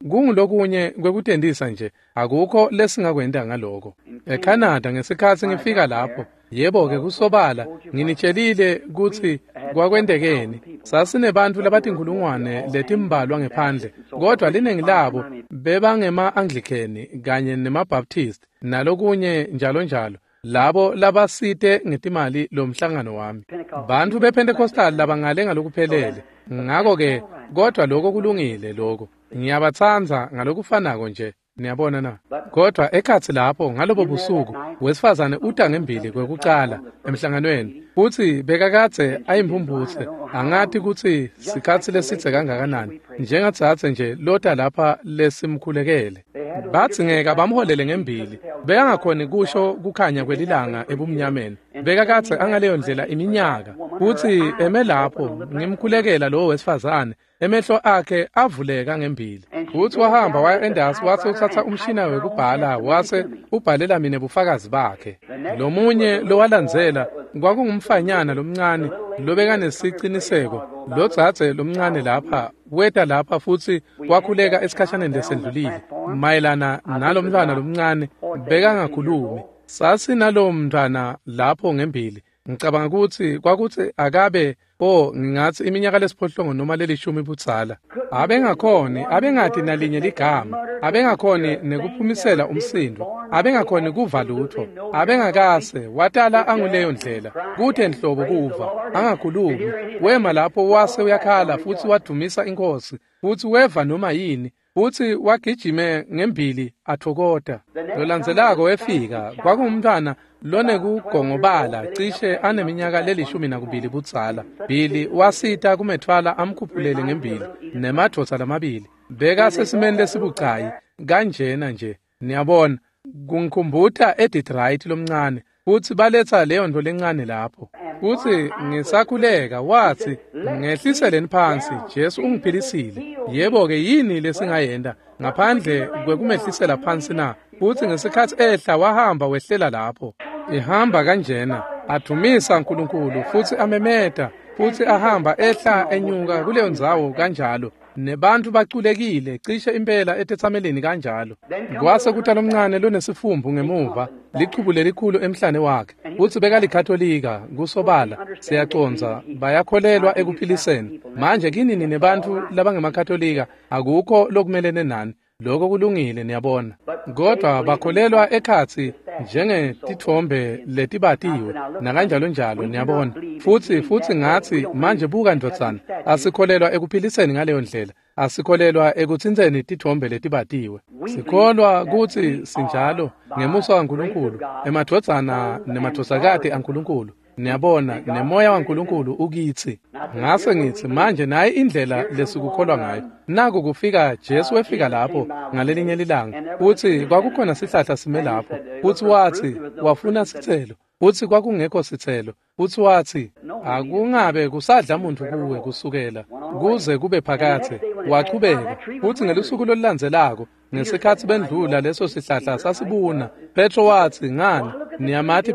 kungulokunye kwekutentisa nje, akukho lesingakwenta ngaloko. ECanada ngesikhatsi ngifika lapho, yebo-ke kusobala nginitshelile kutsi kwakwentekeni. Sasinebantfu labatinkhulungwane letimbalwa ngephandle, kodwa liningi labo bebangema-Anglican kanye nema-Baptist nalokunye njalo njalo, labo labasite ngetimali lomhlangano wami. Bantfu bePentecostal labangale ngalokuphelele. Ngako-ke kodwa lokho kulungile lokho. Ngiyabatsandza ngalokufanako nje. Niyabona na? Kodwa ekhatsi lapho ngalobo busuku wesifazane uta ngembili kwekucala emhlanganweni, futsi bekakadze ayimphumputse, angati kutsi sikhatsi lesidze kangakanani, njengadzadze nje lota lapha lesimkhulekele. Badzingeka bamholele ngembili, bekangakhoni kusho kukhanya kwelilanga ebumnyameni. Bekakadze angaleyo ndlela iminyaka, futsi eme lapho ngimkhulekela lowo wesifazane, emehlo akhe avuleka ngembili. Futsi wahamba waya endasi, wase utsatsa umshina wekubhala, wase ubhalela mina bufakazi bakhe. Lomunye lowalandzela kwakungumfanyana lomncane lobekanesiqiniseko, lodzadze lomncane lapha weta lapha futsi wakhuleka esikhashaneni lesendlulile mayelana nalomntwana lomncane bekangakhulumi. Sasinalowo mntwana lapho ngembili. Ngicabanga kutsi kwakutsi akabe ngingatsi iminyaka lesiphohlongo noma lelishumi budzala. Abengakhoni, abengati nalinye ligama, abengakhoni nekuphumisela umsindo, abengakhoni kuva lutho, abengakase watala anguleyo ndlela, kute nhlobo kuva, angakhulumi. Wema lapho wase uyakhala futsi wadumisa inkosi, futsi weva noma yini, futsi wagijime ngembili athokota. Lolandzelako wefika kwakungumntwana lonekugongobala cishe aneminyaka le-12 budzala. Billy wasita kumethwala amkhuphulele ngembili nemadvodza lamabili. Bekasesimeni lesibucayi kanjena nje. Niyabona, kungikhumbuta Edith Wright lomncane, futsi baletsa leyo nto lencane lapho. Futsi ngisakhuleka wathi, ngehliseleni phansi, Jesu ungiphilisile. Yebo-ke yini lesingayenta ngaphandle kwekumehlisela phansi na? Futsi ngesikhatsi ehla wahamba wehlela lapho. Ihamba kanjena, adumisa uNkulunkulu futsi amemeta, futsi ahamba ehla enyuka kuleyo ndzawo kanjalo. Nebantu baculekile cishe impela etetsameleni kanjalo. Kwase kuta lomncane lonesifumbu ngemuva, lichubu lelikhulu emhlane wakhe, futsi bekalikatolika kusobala, siyacondza bayakholelwa ekuphiliseni. Manje kini nine bantfu labangemakatolika akukho lokumelene nani, lokho kulungile niyabona. Kodwa bakholelwa ekhatsi njengetitfombe letibatiwe nakanjalo njalo niyabona. Futsi ngatsi manje buka ndvodzana, asikholelwa ekuphiliseni ngaleyo ndlela, asikholelwa ekutsintseni titfombe letibatiwe. Sikholwa kutsi sinjalo ngemusa waNkulunkulu, emadvodzana nemadvodzakati aNkulunkulu. Niyabona, nemoya waNkulunkulu ukitsi. Ngase ngitsi manje nayi indlela lesikukholwa ngayo. Naku kufika Jesu wefika lapho ngalelinye lilanga, futsi kwakukhona sihlahla sime lapho, futsi watsi wafuna sitselo, futsi kwakungekho sitselo, futsi watsi akungabe kusadla muntu kuwe kusukela kuze kube phakathe. Wachubeka, futsi ngelusuku lolulandzelako ngesikhatsi bendlula leso sihlahla sasibuna, Petro watsi ngani niyamati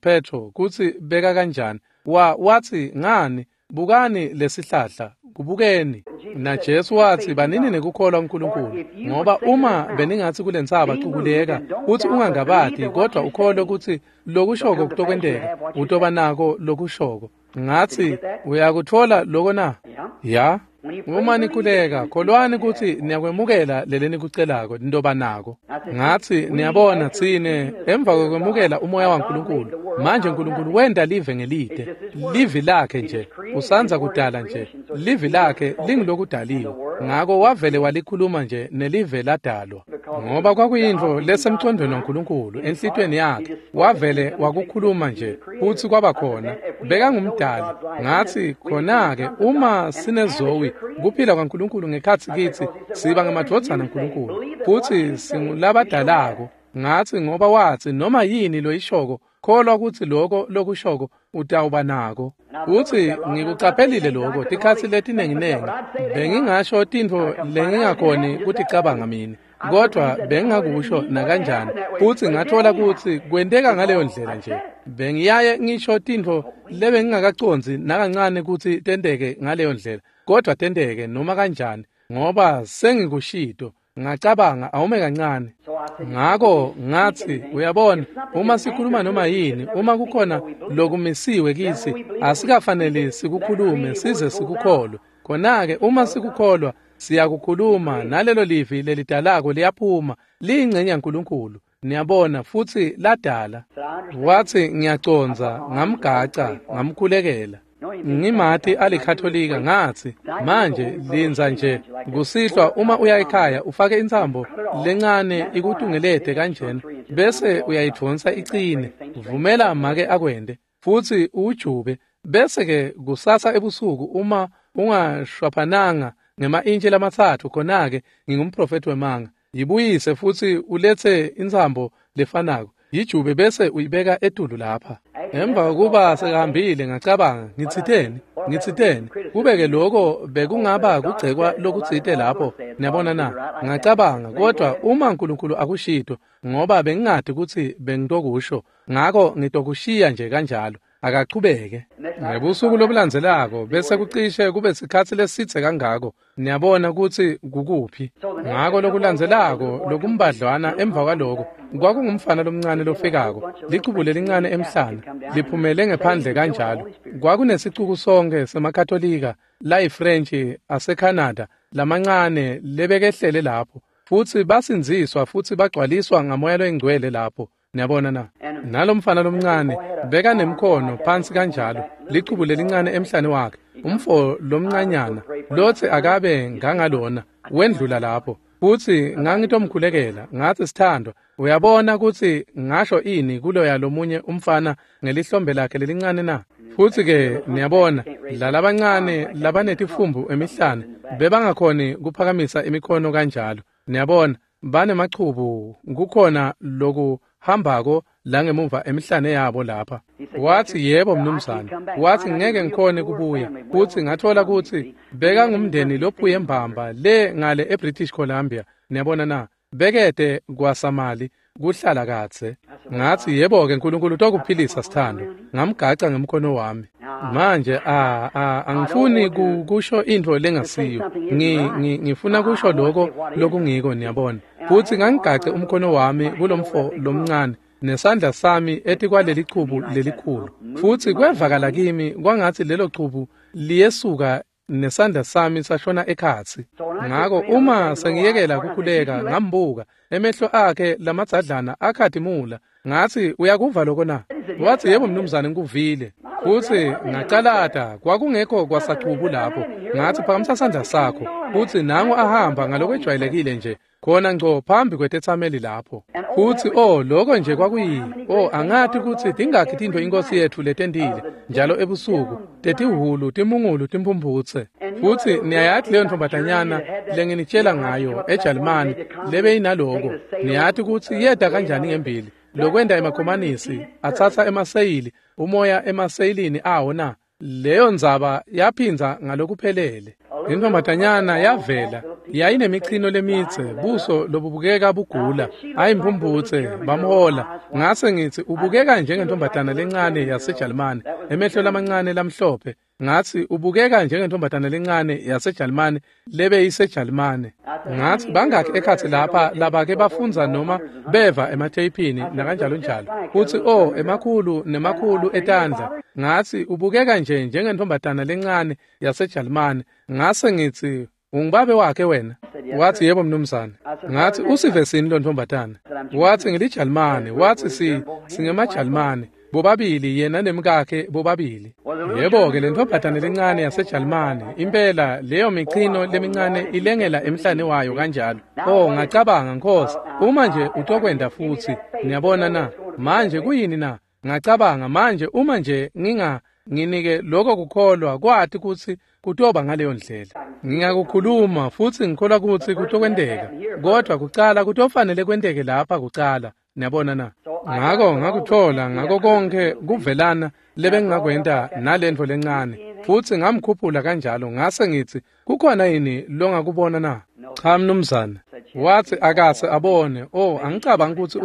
Petro kutsi beka kanjani. Watsi ngani bukani lesihlahla, kubukeni. Na Jesu watsi banini nekukholwa uNkulunkulu, ngoba uma beningatsi kulentsaba cukuleka, futsi ungangabati kodwa ukholwe kutsi lokushoko kutokwenteka, utoba nako lokushoko. Ngatsi uyakutfola loko na? Ya. Uma nikhuleka, kholwani kutsi niyakwemukela lelenikucelako, nitoba nako. Ngatsi niyabona tsine emva kokwemukela umoya waNkulunkulu, manje uNkulunkulu wenta live ngelide, livi lakhe nje, usandza kudala nje, livi lakhe lingilokudaliwe. Ngako wavele walikhuluma nje nelive ladalwa. Ngoba kwakuyintfo lesemcondweni waNkulunkulu enhlitiyweni yakhe, wavele wakukhuluma nje futsi kwaba khona. Bekangumdali. Ngatsi khona-ke uma sinezowi kuphila kwaNkulunkulu ngekhatsi kitsi, siba ngemadvodzana aNkulunkulu futsi singulabadalako. Ngatsi ngoba watsi noma yini loyishoko, kholwa kutsi lokho lokushoko utawuba nako. Futsi ngikucaphelile lokho tikhatsi letinenginengi. Bengingasho tintfo lengingakhoni kuticabanga mina. Kodwa bengingakusho nakanjani, futhi ngathola kutsi kwenteka ngaleyo ndlela nje. Bengiyaye ngisho tintfo lebengingakacondzi nakancane kutsi tenteke ngaleyo ndlela, kodwa tenteke noma kanjani, ngoba sengikushito. Ngacabanga awume kancane. Ngako ngathi, uyabona, uma sikhuluma noma yini, uma kukhona lokumisiwe kitsi, asikafanele sikukhulume size sikukholwe. Khona-ke uma sikukholwa, siyakukhuluma, nalelo livi lelidalako liyaphuma, liyingcenye yaNkulunkulu. Niyabona, futsi ladala. Wathi, ngiyacondza, ngamgaca, ngamkhulekela. Ngimati alikhatholika, ngathi, manje lindza nje kusihlwa, uma uya ekhaya ufake intsambo lencane ikutungelete kanjena, bese uyayidvonsa icine, vumela make akwende, futsi uwujube, bese-ke kusasa ebusuku uma ungashwaphananga ngema-intshi lamatsatfu, khona-ke ngingumprofethi wemanga. Yibuyise futsi uletse intsambo lefanako, yijube bese uyibeka etulu lapha. Emva kokuba sekahambile ngacabanga, ngitsiteni kube-ke lokho bekungaba kugcekwa lokutsite lapho, niyabona na? Ngacabanga, kodwa uma uNkulunkulu akushito, ngoba bengingadi kutsi bengitokusho, ngako ngitokushiya nje kanjalo, akachubeke. Ngebusuku lobulandzelako bese kucishe kube sikhatsi lesitse kangako, niyabona kutsi kukuphi. Ngako lokulandzelako lokumbadlwana emva kwaloko kwakungumfana lomncane lofikako, lichubu lelincane emhlana liphumele ngephandle kanjalo. Kwakunesicuku sonke semaKatolika layiFrentshi aseCanada lamancane lebekehlele lapho, futsi basindziswa futsi bagcwaliswa ngaMoya loyiNgcwele lapho. Niyabona na? Nalomfana lomncane bekanemkhono phansi kanjalo, lichubu lelincane emhlane wakhe, umfo lomncanyana lotsi akabe ngangalona, wendlula lapho. Futsi ngangitomkhulekela, ngathi, sithandwa, uyabona kutsi ngasho ini kuloya lomunye umfana ngelihlombe lakhe lelincane na? Futsi-ke niyabona, lalabancane labanetifumbu emihlane bebangakhoni kuphakamisa imikhono kanjalo. Niyabona, banemachubu, kukhona loku hambako la ngemuva emihlane yabo lapha. Wathi, yebo mnumzane. Wathi, ngeke ngikhone kubuya. Futhi ngathola kutsi bekangumndeni lophuye mbamba le ngale eBritish Columbia. Niyabona na? Bekede kwasamali kuhlala kadze. Ngathi, yebo-ke uNkulunkulu utokuphilisa sithando. Ngamgaca ngemkhono wami. Manje angifuni kusho intfo lengasiyo. Ngifuna kusho lokho lokungiko, niyabona. Futhi ngangigace umkhono wami kulomfo lomncane nesandla sami etikwaleli chubu lelikhulu. Futhi kwevakala kimi kwangathi lelo chubu liyesuka nesandla sami sashona ekhatsi. Ngako uma sengiyekela kukhuleka ngambuka, emehlo akhe lamadzadlana akhatimula. Ngathi, uyakuva lokho na? Wathi, yebo mnumzane, ngikuvile. Futhi ngacalata, kwakungekho kwasachubu lapho. Ngathi, phakamisa sandla sakho. Futhi nangu ahamba ngalokwejwayelekile nje, khona ngco phambi kwetetsameli lapho. Futhi lokho nje kwakuyi, angathi kutsi tingakhi tintfo inkosi yetfu letentile njalo ebusuku, tetihhulu, timungulu, timphumputse. Futhi niyayathi leyo ntombazanyana lenginitshela ngayo eJalimane lebeyinaloko, niyati kutsi yeda kanjani ngembili lokwenda emakhomanisi atsatsa emaseyili, umoya emaseyilini awo na? Leyo ndzaba yaphindza ngalokuphelele. Intombazanyana yavela, yayinemichino lemitse, buso lobubukeka bugula, ayimphumputse, bamhola. Ngase ngitsi, ubukeka njengentombazana lencane yaseJalimane, emehlo lamancane lamhlophe. Ngathi, ubukeka njengentombazana lencane yaseJalimane lebeyiseJalimane. Ngathi, bangakhi ekhatsi lapha labake bafundza noma beva ematheyipini nakanjalo njalo. Futhi emakhulu nemakhulu etandla. Ngathi, ubukeka nje njengentombazana lencane yaseJalimane. Ngase ngithi, ungubabe wakhe wena? Wathi, yebo mnumzane. Ngathi, usivesini lo ntombazana? Wathi, ngiliJalimane. Wathi, singemaJalimane bobabili, yena nemkakhe bobabili. Yebo-ke, le ntombazane lencane yaseJalimane, impela leyo michino lemincane ilengela emhlane wayo kanjalo. Ngacabanga, Nkosi, uma nje utokwenda futhi, niyabona na? Manje kuyini na? Ngacabanga, manje uma nje nginike lokho kukholwa kwathi kutsi kutoba ngaleyo ndlela. Ngingakukhuluma futhi ngikholwa kutsi kutokwenteka, kodwa kucala kutofanele kwenteke lapha kucala. Niyabona na? Ngako ngakuthola ngako konke kuvelana lebengingakwenta nalentfo lencane, futsi ngamkhuphula kanjalo. Ngase ngitsi, kukhona yini longakubona na? Cha mnumzane. Wathi akase abone. Oh, angicabangi ukuthi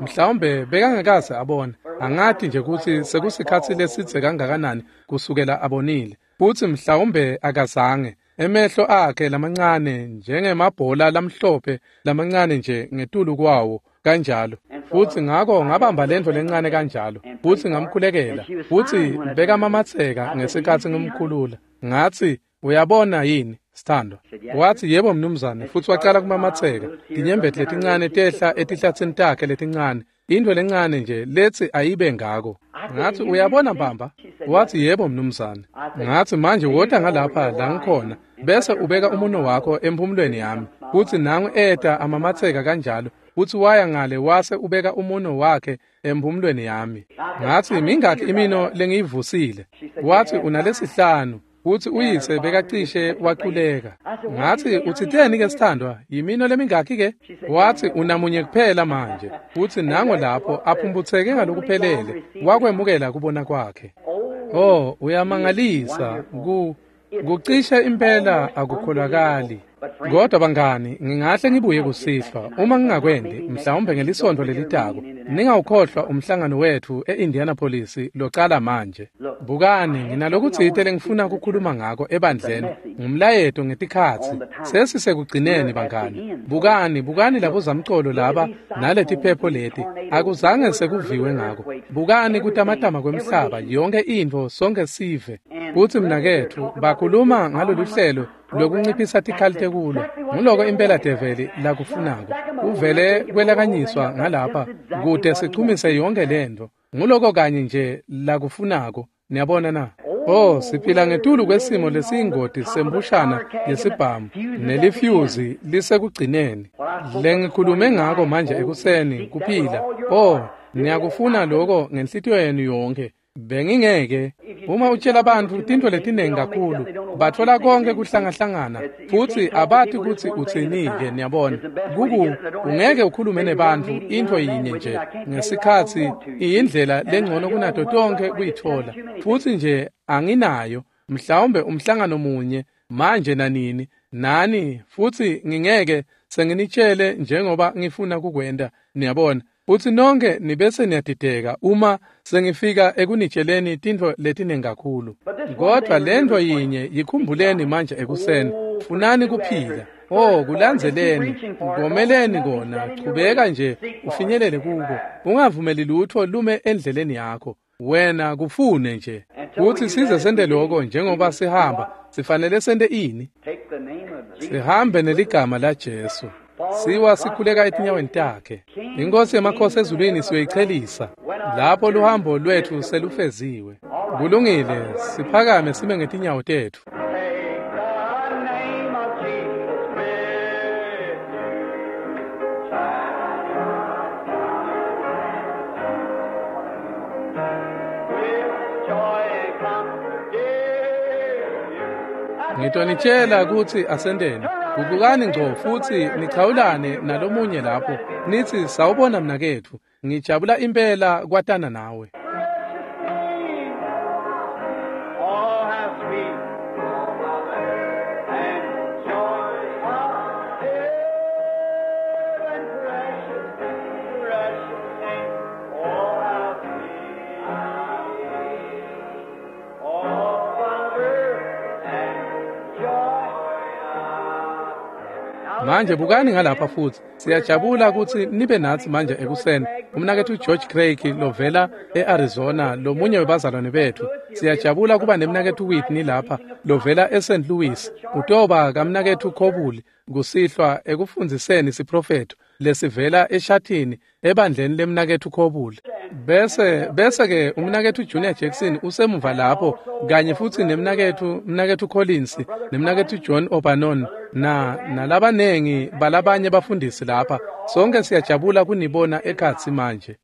mhlawumbe bekangekase abone. Angathi nje ukuthi sekusikhathi lesidze kangakanani kusukela abonile. Futhi mhlawumbe akazange. Emehlo akhe lamancane njengemabhola lamhlophe lamancane nje ngetulu kwawo kanjalo. Futhi ngakho ngabamba lento lencane kanjalo. Futhi ngamkhulekela. Futhi bekamamatheka ngesikhathi ngimkhulula. Ngathi, uyabona yini, sithandwa? Wathi, yebo mnumzane. Futhi waqala kumamatheka. Tinyembeti letincane tehla etihlathini takhe letincane. Into lencane nje lethi ayibe ngako. Ngathi, uyabona mbamba? Wathi, yebo mnumzane. Ngathi, manje wota ngalapha la ngikhona bese ubeka umuno wakho emphumulweni yami. Futhi nangu eta amamatheka kanjalo. Futhi waya ngale wase ubeka umuno wakhe emphumulweni yami. Ngathi, mingakhi imino lengiyivusile? Wathi, unalesihlanu. Futhi uyise bekacishe waquleka. Ngathi, uthitheni ke sithandwa? Yimino lemingakhi ke? Wathi, unamunye kuphela manje. Futhi nango lapho aphumputheke ngalokuphelele, wakwemukela kubona kwakhe. Oh, uyamangalisa. Kucishe impela akukholakali. Kodwa bangani, ngingahle ngibuye kusihlwa. Uma ngingakwendi, mhlawumbe ngelisonto lelitako, ningawukhohlwa umhlangano wethu e-Indianapolis locala manje. Bukani, nginalokutsite lengifuna ukukhuluma ngako ebandleni, ngumlayeto ngetikhatsi. Sesisekugcineni bangani. Bukani, bukani labozamcolo laba naletiphepho leti. Akuzange sekuviwe ngako. Bukani kutamatama kwemhlaba, yonke intfo sonke sive. Kuthi mnaketfu bakhuluma ngalolu hlelo lokunciphisa tikhali tekulwa. Nguloko impela develi lakufunako. Uvele kwelakanyiswa ngalapha kute sichumise yonke lento. Nguloko kanye nje lakufunako. Niyabona na? Oh, siphila ngetulu kwesimo lesiyingoti sembushana yesibhamu nelifyuzi lisekugcineni. Lengikhulume ngako manje ekuseni kuphila. Oh, niyakufuna lokho ngenhlitiyo yenu yonke. Bengingeke. Uma utshela abantu tintfo letinengi kakhulu, batfola konke kuhlangahlangana futhi abati kutsi utsini-ke. Niyabona, ungeke ukhulume nebantfu intfo yinye nje ngesikhatsi iyindlela lengcono kunato tonke kuyitfola. Futhi nje anginayo, mhlawumbe umhlangano munye manje nanini nani, futhi ngingeke senginitshele njengoba ngifuna kukwenta. Niyabona, futhi nonke nibese niyadideka uma sengifika ekunitsheleni tintfo letinengi kakhulu. Kodwa lentfo yinye yikhumbuleni manje ekuseni, funani kuphila. Oh, kulandzeleni, ngomeleni kona, chubeka nje ufinyelele kuko. Ungavumeli lutho lume endleleni yakho. Wena kufune nje. Kuthi size sente lokho njengoba sihamba, sifanele sente ini? Sihambe neligama la Jesu. Siwa sikhuleka etinyaweni takhe. Inkosi yemakhosi ezulwini siyoyichelisa lapho luhambo lwethu selufeziwe. Kulungile, siphakame sime ngetinyawo tetfu. Ngitonitshela kutsi asenteni. Gugukani ngco futhi nichawulane nalomunye lapho. Nithi, sawubona mnaketfu, ngijabula impela kwatana nawe. Manje bukani ngalapha futhi. Siyajabula ukuthi nibe nathi manje ekuseni. Umnaketfu George Craig lovela eArizona, lomunye webazalwane bethu. Siyajabula kuba nemnaketfu Whitney lapha lovela eSt. Louis. Utoba kamnaketfu Kobuli kusihlwa ekufundziseni siprofetho lesivela eshathini ebandleni lemnaketfu Kobuli. Bese ke umnaketfu Junior Jackson usemuva lapho kanye futhi nemnaketfu Collins, nemnaketfu John Obanon na nalabanengi balabanye bafundisi lapha. Sonke siyajabula kunibona ekhatsi manje.